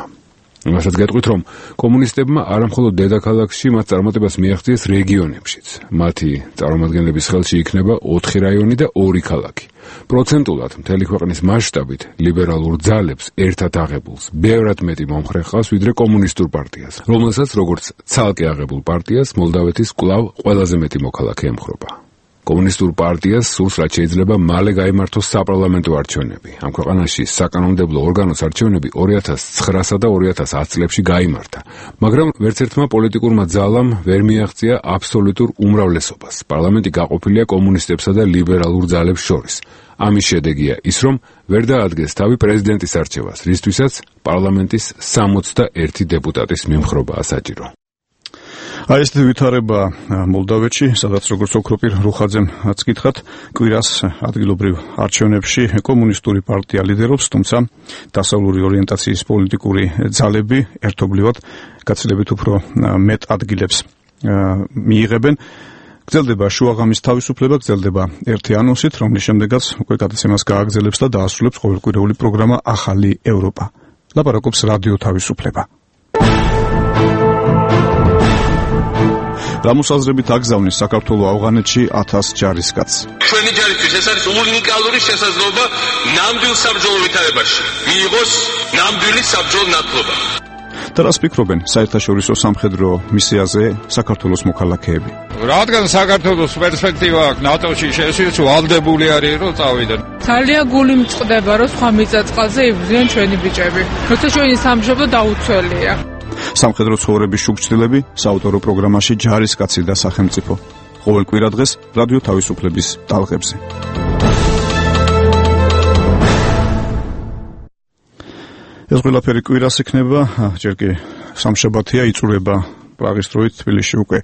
იმასაც გეტყვით, რომ კომუნისტებმა არამხოლოდ დედაქალაქში მათ წარმატებას მიაღწიეს რეგიონებშიც. მათი წარმომადგენლების ხელში იქნება 4 რაიონი და 2 ქალაქი. პროცენტულად მთელი ქვეყნის მასშტაბით ლიბერალურ ძალებს ერთად აღებულს ბევრად მეტი მომხრე ჰყავს ვიდრე კომუნისტურ პარტიას, რომელსაც როგორც ცალკე აღებულ პარტიას მოლდავეთის კვლავ ყველაზე მეტი მოქალაქე ემხრობა. კომუნისტურ პარტიას სურს, რაც შეიძლება მალე გაიმართოს საპარლამენტო არჩევნები. ამ ქვეყანაში საკანონმდებლო ორგანოს არჩევნები 2009-სა და 2010 წლებში გაიმართა, მაგრამ ვერც ერთმა პოლიტიკურმა ძალამ ვერ მიაღწია აბსოლუტურ უმრავლესობას. პარლამენტი გაყოფილია კომუნისტებსა და ლიბერალურ ძალებს შორის. ამის შედეგია ის, რომ ვერ დაადგეს თავი პრეზიდენტის არჩევას, რისთვისაც პარლამენტის 61 დეპუტატის მიმხრობაა საჭირო. აი ეს ვითარება მოლდავეთში, სადაც როგორც ოქროპირ რუხაძემაც გითხრათ, კვირას ადგილობრივ არჩევნებში კომუნისტური პარტია ლიდერობს, თუმცა დასავლური ორიენტაციის პოლიტიკური ძალები ერთობლივად გაცილებით უფრო მეტ ადგილებს მიიღებენ. გრძელდება შუაღამის თავისუფლება, გრძელდება ერთი ანონსით, რომლის შემდეგაც უკვე გადაცემას გააგრძელებს და დაასრულებს ყოველკვირეული პროგრამა ახალი ევროპა. ლაპარაკობს რადიო თავისუფლება. რამოსაზრებით აგზავნის საქართველოს ავღანეთში 1000 ჯარისკაცს. ჩვენი ჯარისთვის ეს არის უნიკალური შესაძლებლობა ნამდვილ საბრძოლო ვითარებაში მიიღოს ნამდვილი საბრძოლო ნათლობა. და რას ფიქრობენ საერთაშორისო სამხედრო მისიაზე საქართველოს მოქალაქეები? რადგან საქართველოს პერსპექტივა აქვს ნატოში შესვლის, ვალდებული არის რომ წავიდნენ. ძალიან გული მწყდება რომ სხვა მიწაწყალზე იბრძვიან ჩვენი ბიჭები. როცა ჩვენი სამშობლო დაუცველია. სამხედრო ცხოვრების შუქჩილები საავტორო პროგრამაში ჯარისკაცი და სახელმწიფო. ყოველ კვირა დღეს რადიო თავისუფლების ტალღებზე. ეს ყველაფერი კვირას იქნება, ჯერ კი სამშაბათია, იწურება პრაღის დროით თბილისში უკვე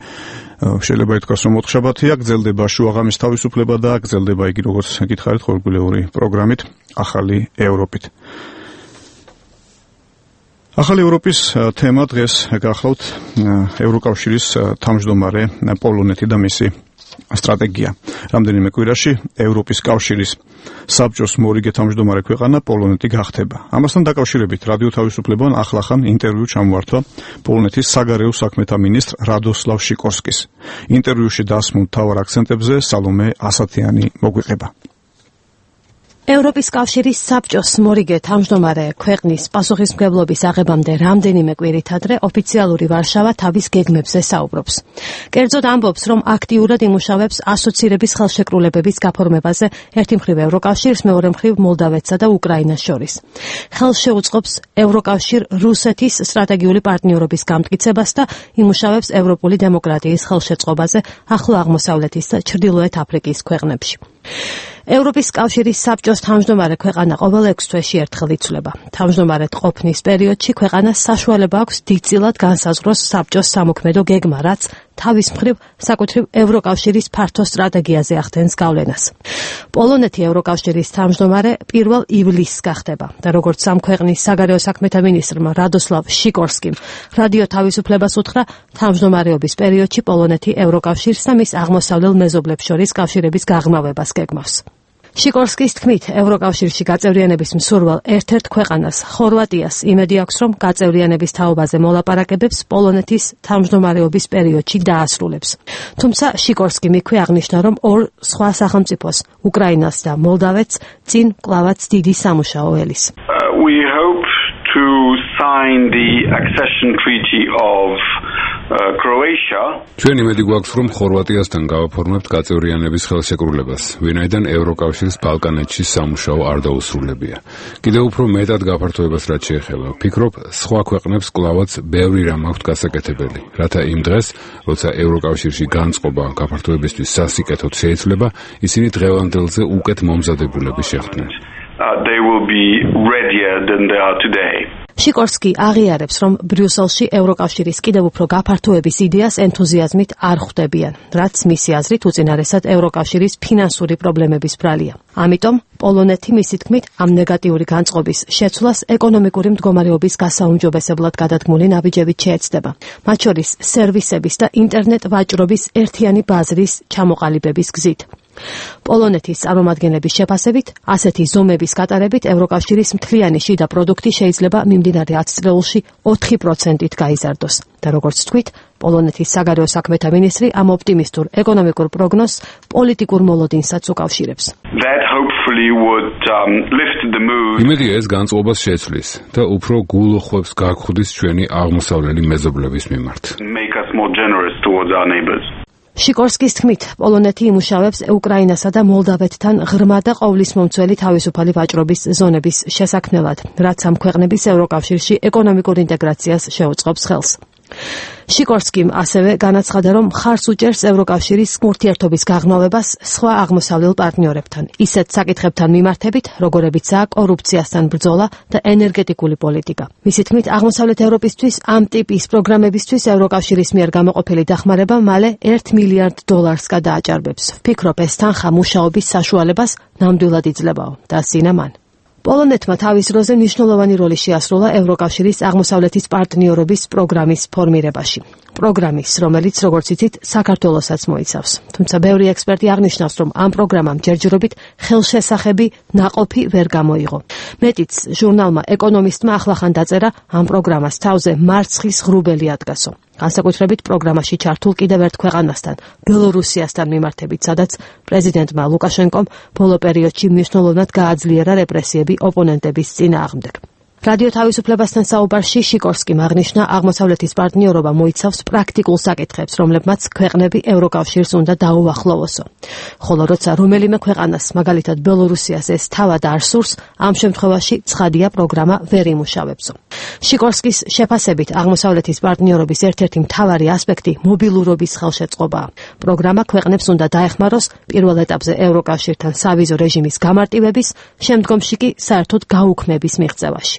შეიძლება ითქვას რომ 4 შაბათია, გრძელდება შუაღამის თავისუფლება და გრძელდება იგი როგორც გითხარით ყოველკვირეული პროგრამით ახალი ევროპით. ახალი ევროპის თემა დღეს გახლავთ ევროკავშირის თავმჯდომარე პოლონეთი და მისი სტრატეგია. რამდენიმე კვირაში ევროპის კავშირის საბჭოს მორიგე თავმჯდომარე ქვეყანა პოლონეთი გახდება. ამასთან დაკავშირებით რადიო თავისუფლებამ ახლახან ინტერვიუ ჩამოართვა პოლონეთის საგარეო საქმეთა მინისტრ რადოსლავ შიკორსკის. ინტერვიუში დასმულ მთავარ აქცენტებზე სალომე ასათიანი მოგვიყება. ევროპის კავშირის საბჭოს მორიგე თავმჯდომარე ქვეყნის პასუხისმგებლობის აღებამდე რამდენიმე კვირით ადრე ოფიციალური ვარშავა თავის გეგმებზე საუბრობს. კერძოდ ამბობს, რომ აქტიურად იმუშავებს ასოცირების ხელშეკრულებების გაფორმებაზე ერთი მხრივ ევროკავშირს, მეორე მხრივ მოლდავეთსა და უკრაინას შორის. ხელს შეუწყობს ევროკავშირ რუსეთის სტრატეგიული პარტნიორობის გამტკიცებას და იმუშავებს ევროპული დემოკრატიის ხელშეწყობაზე ახლო აღმოსავლეთის და ჩრდილოეთ აფრიკის ქვეყნებში. ევროპის კავშირის საბჭოს თავმჯდომარე ქვეყანა ყოველ 6 თვეში ერთხელ იცვლება. თავმჯდომარედ ყოფნის პერიოდში ქვეყანას საშუალება აქვს დიდწილად განსაზღვროს საბჭოს სამოქმედო გეგმა, რაც თავის მხრივ საკუთრივ ევროკავშირის ფართო სტრატეგიაზე ახდენს გავლენას. პოლონეთი ევროკავშირის თავმჯდომარე 1 ივლისს გახდება და როგორც ამ ქვეყნის საგარეო საქმეთა მინისტრმა რადოსლავ შიკორსკიმ რადიო თავისუფლებას უთხრა, თავმჯდომარეობის პერიოდში პოლონეთი ევროკავშირს და მის აღმოსავლელ მეზობლებს შორის კავშირების გაღრმავებას გეგმავს. შიკორსკის თქმით, ევროკავშირში გაწევრიანების მსურვალ ერთ-ერთ ქვეყანას, ხორვატიას, იმედი აქვს, რომ გაწევრიანების თაობაზე მოლაპარაკებებს პოლონეთის თავმჯდომარეობის პერიოდში დაასრულებს. თუმცა შიკორსკიმ იქვე აღნიშნა, რომ ორ სხვა სახელმწიფოს, უკრაინას და მოლდავეთს, წინ კვლავაც დიდი სამუშაო ელის. We hope to sign the accession treaty of Croatia. ჩვენ იმედი გვაქვს, რომ ხორვატიასთან გავაფორმებთ გაწევრიანების ხელშეკრულებას, ვინაიდან ევროკავშირის ბალკანეთში სამუშაო არ დაუსრულებია. კიდევ უფრო მეტად გაფართოებას რაც შეეხება, ვფიქრობ, სხვა ქვეყნებს კვლავაც ბევრი რამ აქვთ გასაკეთებელი, რათა იმ დღეს, როცა ევროკავშირში განწყობა გაფართოებისთვის სასიკეთოდ შეიცვლება, ისინი დღევანდელზე უკეთ მომზადებულები შეხვდნენ. They will be readier than they are today. შიკორსკი აღიარებს, რომ ბრიუსელში ევროკავშირის კიდევ უფრო გაფართოების იდეას ენთუზიაზმით არ ხვდებიან, რაც მისი აზრით უწინარესად ევროკავშირის ფინანსური პრობლემების ბრალია. ამიტომ პოლონეთი მისი თქმით ამ ნეგატიური განწყობის შეცვლას ეკონომიკური მდგომარეობის გასაუმჯობესებლად გადადგმული ნაბიჯებით შეეცდება, მათ შორის სერვისების და ინტერნეტ ვაჭრობის ერთიანი ბაზრის ჩამოყალიბების გზით. პოლონეთის წარმომადგენლების შეფასებით, ასეთი ზომების გატარებით ევროკავშირის მთლიანი შიდა პროდუქტი შეიძლება მიმდინარე 10 წლებში 4%-ით გაიზარდოს. და როგორც თქვით, პოლონეთის საგარეო საქმეთა მინისტრი ამ ოპტიმისტურ ეკონომიკურ პროგნოზს პოლიტიკურ მოლოდინსაც უკავშირებს. That hopefully would lift the mood. იმედია ეს განწყობას შეცვლის და უფრო გულუხვებს გაგხვდის ჩვენი აღმოსავლელი მეზობლების მიმართ. Make us more generous towards our neighbors. შიკორსკის თქმით, პოლონეთი იმუშავებს უკრაინასა და მოლდავეთთან ღრმა და ყოვლისმომცველი თავისუფალი ვაჭრობის ზონების შესაქმნელად, რაც ამ ქვეყნების ევროკავშირში ეკონომიკურ ინტეგრაციას შეუწყობს ხელს. შიკორსკიმ ასევე განაცხადა, რომ მხარს უჭერს ევროკავშირის ურთიერთობის გაღრმავებას სხვა აღმოსავლელ პარტნიორებთან, ისეთ საკითხებთან მიმართებით, როგორებიცაა კორუფციასთან ბრძოლა და ენერგეტიკული პოლიტიკა. მისი თქმით, აღმოსავლეთ ევროპისთვის ამ ტიპის პროგრამებისთვის ევროკავშირის მიერ გამოყოფილი დახმარება მალე $1 მილიარდ გადააჭარბებს. ვფიქრობ, ეს თანხა მუშაობის საშუალებას ნამდვილად იძლებაო და სინამან. პოლონეთმა თავის დროზე მნიშვნელოვანი როლი შეასრულა ევროკავშირის აღმოსავლეთის პარტნიორობის პროგრამის ფორმირებაში. პროგრამის, რომელიც, როგორც იცით, საქართველოსაც მოიცავს. თუმცა ბევრი ექსპერტი აღნიშნავს, რომ ამ პროგრამამ ჯერჯერობით ხელშესახები ნაყოფი ვერ გამოიღო. მეტიც, ჟურნალმა ეკონომისტმა ახლახან დაწერა ამ პროგრამას თავზე მარცხის ღრუბელი ადგასო. განსაკუთრებით პროგრამაში ჩართულ კიდევ ერთ ქვეყანასთან, ბელორუსიასთან მიმართებით, სადაც პრეზიდენტმა ლუკაშენკომ ბოლო პერიოდში მნიშვნელოვნად გააძლიერა რეპრესიები ოპონენტების წინააღმდეგ. რადიო თავისუფლებასთან საუბარში შიკორსკიმ აღნიშნა, აღმოსავლეთის პარტნიორობა მოიცავს პრაქტიკულ საკითხებს, რომლებმაც ქვეყნები ევროკავშირს უნდა დაუახლოვოსო. ხოლო როცა რომელიმე ქვეყანას, მაგალითად ბელორუსიას ეს თავად არ სურს, ამ შემთხვევაში ცხადია პროგრამა ვერ იმუშავებსო. შიკორსკის შეფასებით, აღმოსავლეთის პარტნიორობის ერთ-ერთი მთავარი ასპექტი მობილურობის ხელშეწყობაა. პროგრამა ქვეყნებს უნდა დაეხმაროს პირველ ეტაპზე ევროკავშირთან სავიზო რეჟიმის გამარტივების, შემდგომში კი საერთოდ გაუქმების მიღწევაში.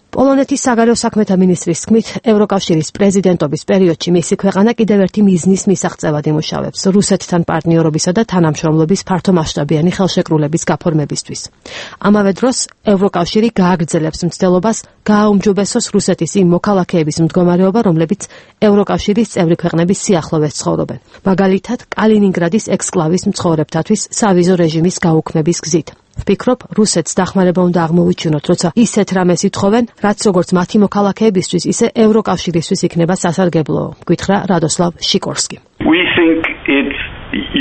პოლონეთის საგარეო საქმეთა მინისტრის თქმით, ევროკავშირის პრეზიდენტობის პერიოდში მისი ქვეყანა კიდევ ერთი მიზნის მისაღწევად იმუშავებს რუსეთთან პარტნიორობისა და თანამშრომლობის ფართომასშტაბიანი ხელშეკრულების გაფორმებისთვის. ამავე დროს, ევროკავშირი გააგრძელებს მცდელობას გააუმჯობესოს რუსეთის იმ მოქალაქეების მდგომარეობა, რომლებიც ევროკავშირის წევრი ქვეყნების სიახლოვეს ცხოვრობენ. მაგალითად, კალინინგრადის ექსკლავის მცხოვრებთათვის სავიზო რეჟიმის გაუქმების გზით. ვფიქრობ, რუსეთს დახმარება უნდა აღმოვიჩინოთ, როცა ისეთ რამეს ითხოვენ, რაც როგორც მათი მოქალაქეებისთვის, ისე ევროკავშირისთვის იქნება სასარგებლო, გითხრა რადოსლავ შიკორსკი. We think it's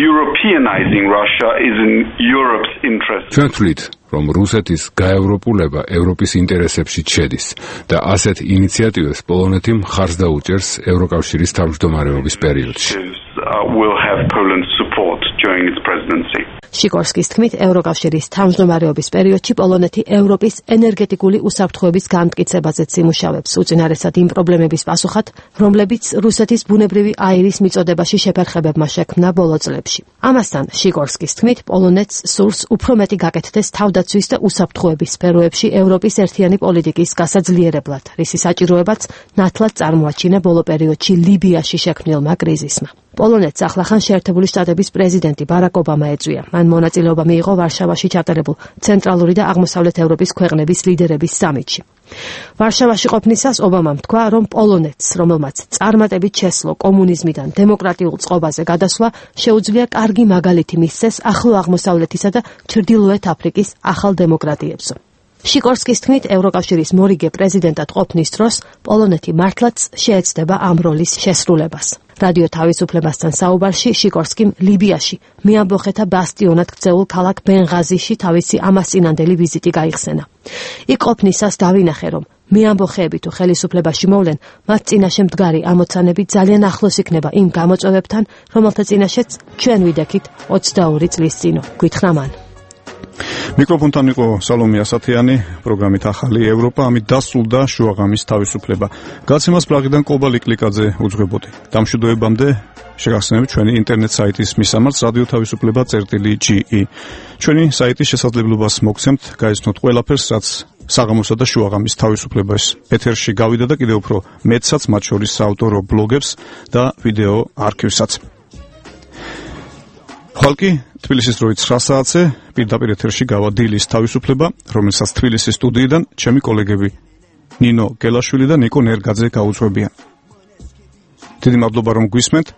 Europeanizing Russia is in Europe's interest. ჩვენ ვთვლით, რომ რუსეთის გაევროპულება ევროპის ინტერესებში შედის და ასეთ ინიციატივებს პოლონეთი მხარს დაუჭერს ევროკავშირის თავმჯდომარეობის პერიოდში. Will have Poland's support during its presidency. შიკორსკის თქმით, ევროკავშირის თავმჯდომარეობის პერიოდში პოლონეთი ევროპის ენერგეტიკული უსაფრთხოების განმტკიცებაზეც იმუშავებს, უწინარესად იმ პრობლემების პასუხად, რომლებიც რუსეთის ბუნებრივი აირის მიწოდებაში შეფერხებებმა შექმნა ბოლო წლებში. ამასთან, შიკორსკის თქმით, პოლონეთს სურს უფრო მეტი გაკეთდეს თავდაცვის და უსაფრთხოების სფეროებში ევროპის ერთიანი პოლიტიკის გასაძლიერებლად, რისი საჭიროებაც ნათლად წარმოაჩინა ბოლო პერიოდში ლიბიაში შექმნილმა კრიზისმა. პოლონეთს ახლახან შეერთებული შტატების პრეზიდენტი ბარაკ ობამა ეწვია. მან მონაწილეობა მიიღო ვარშავაში ჩატარებულ ცენტრალური და აღმოსავლეთ ევროპის ქვეყნების ლიდერების სამიტში. ვარშავაში ყოფნისას ობამამ თქვა, რომ პოლონეთს, რომელმაც წარმატებით შესძლო კომუნიზმიდან დემოკრატიულ წყობაზე გადასვლა, შეუძლია კარგი მაგალითი მისცეს ახლო აღმოსავლეთისა და ჩრდილოეთ აფრიკის ახალ დემოკრატიებსო. შიკორსკის თქმით, ევროკავშირის მორიგე პრეზიდენტად ყოფნის დროს პოლონეთი მართლაც შეეცდება ამ როლის შესრულებას. რადიო თავისუფლებასთან საუბარში შიკორსკიმ ლიბიაში მეამბოხეთა ბასტიონად ქცეულ ქალაქ ბენღაზიში თავისი ამასწინანდელი ვიზიტი გაიხსენა. იქ ყოფნისას დავინახე, რომ მე ამბოხეები თუ ხელისუფლებაში მოვლენ, მათ წინაშე მდგარი ამოცანები ძალიან ახლოს იქნება იმ გამოწვევებთან, რომელთა წინაშეც ჩვენ ვიდექით 22 წლის წინ, გითხრა მან. მიკროფონთან იყო სალომე ასათიანი, პროგრამით ახალი ევროპა, ამით დასრულდა შუაღამის თავისუფლება. გაცემას პრაღიდან კობა ლიკლიკაძე უძღვებოდი. დამშვიდობებამდე შეგახსენებთ ჩვენი ინტერნეტ საიტის მისამართს radio-ge. ჩვენი საიტის შესაძლებლობას მოგცემთ გაიცნოთ ყველაფერს, რაც საღამოსა და შუაღამის თავისუფლებას ეთერში გავიდა და კიდევ უფრო მეტსაც, მათ შორის საავტორო ბლოგებს და ვიდეო არქივსაც. ხალხი თბილისის დროით 9 საათზე პირდაპირ ეთერში გავა დილის თავისუფლება, რომელსაც თბილისის სტუდიიდან ჩემი კოლეგები ნინო გელაშვილი და ნიკო ნერგაძე გაუძღვებიან. დიდი მადლობა რომ გვისმენთ.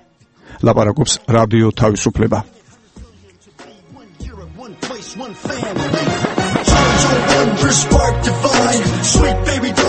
ლაპარაკობს რადიო თავისუფლება. Spark divine, sweet baby.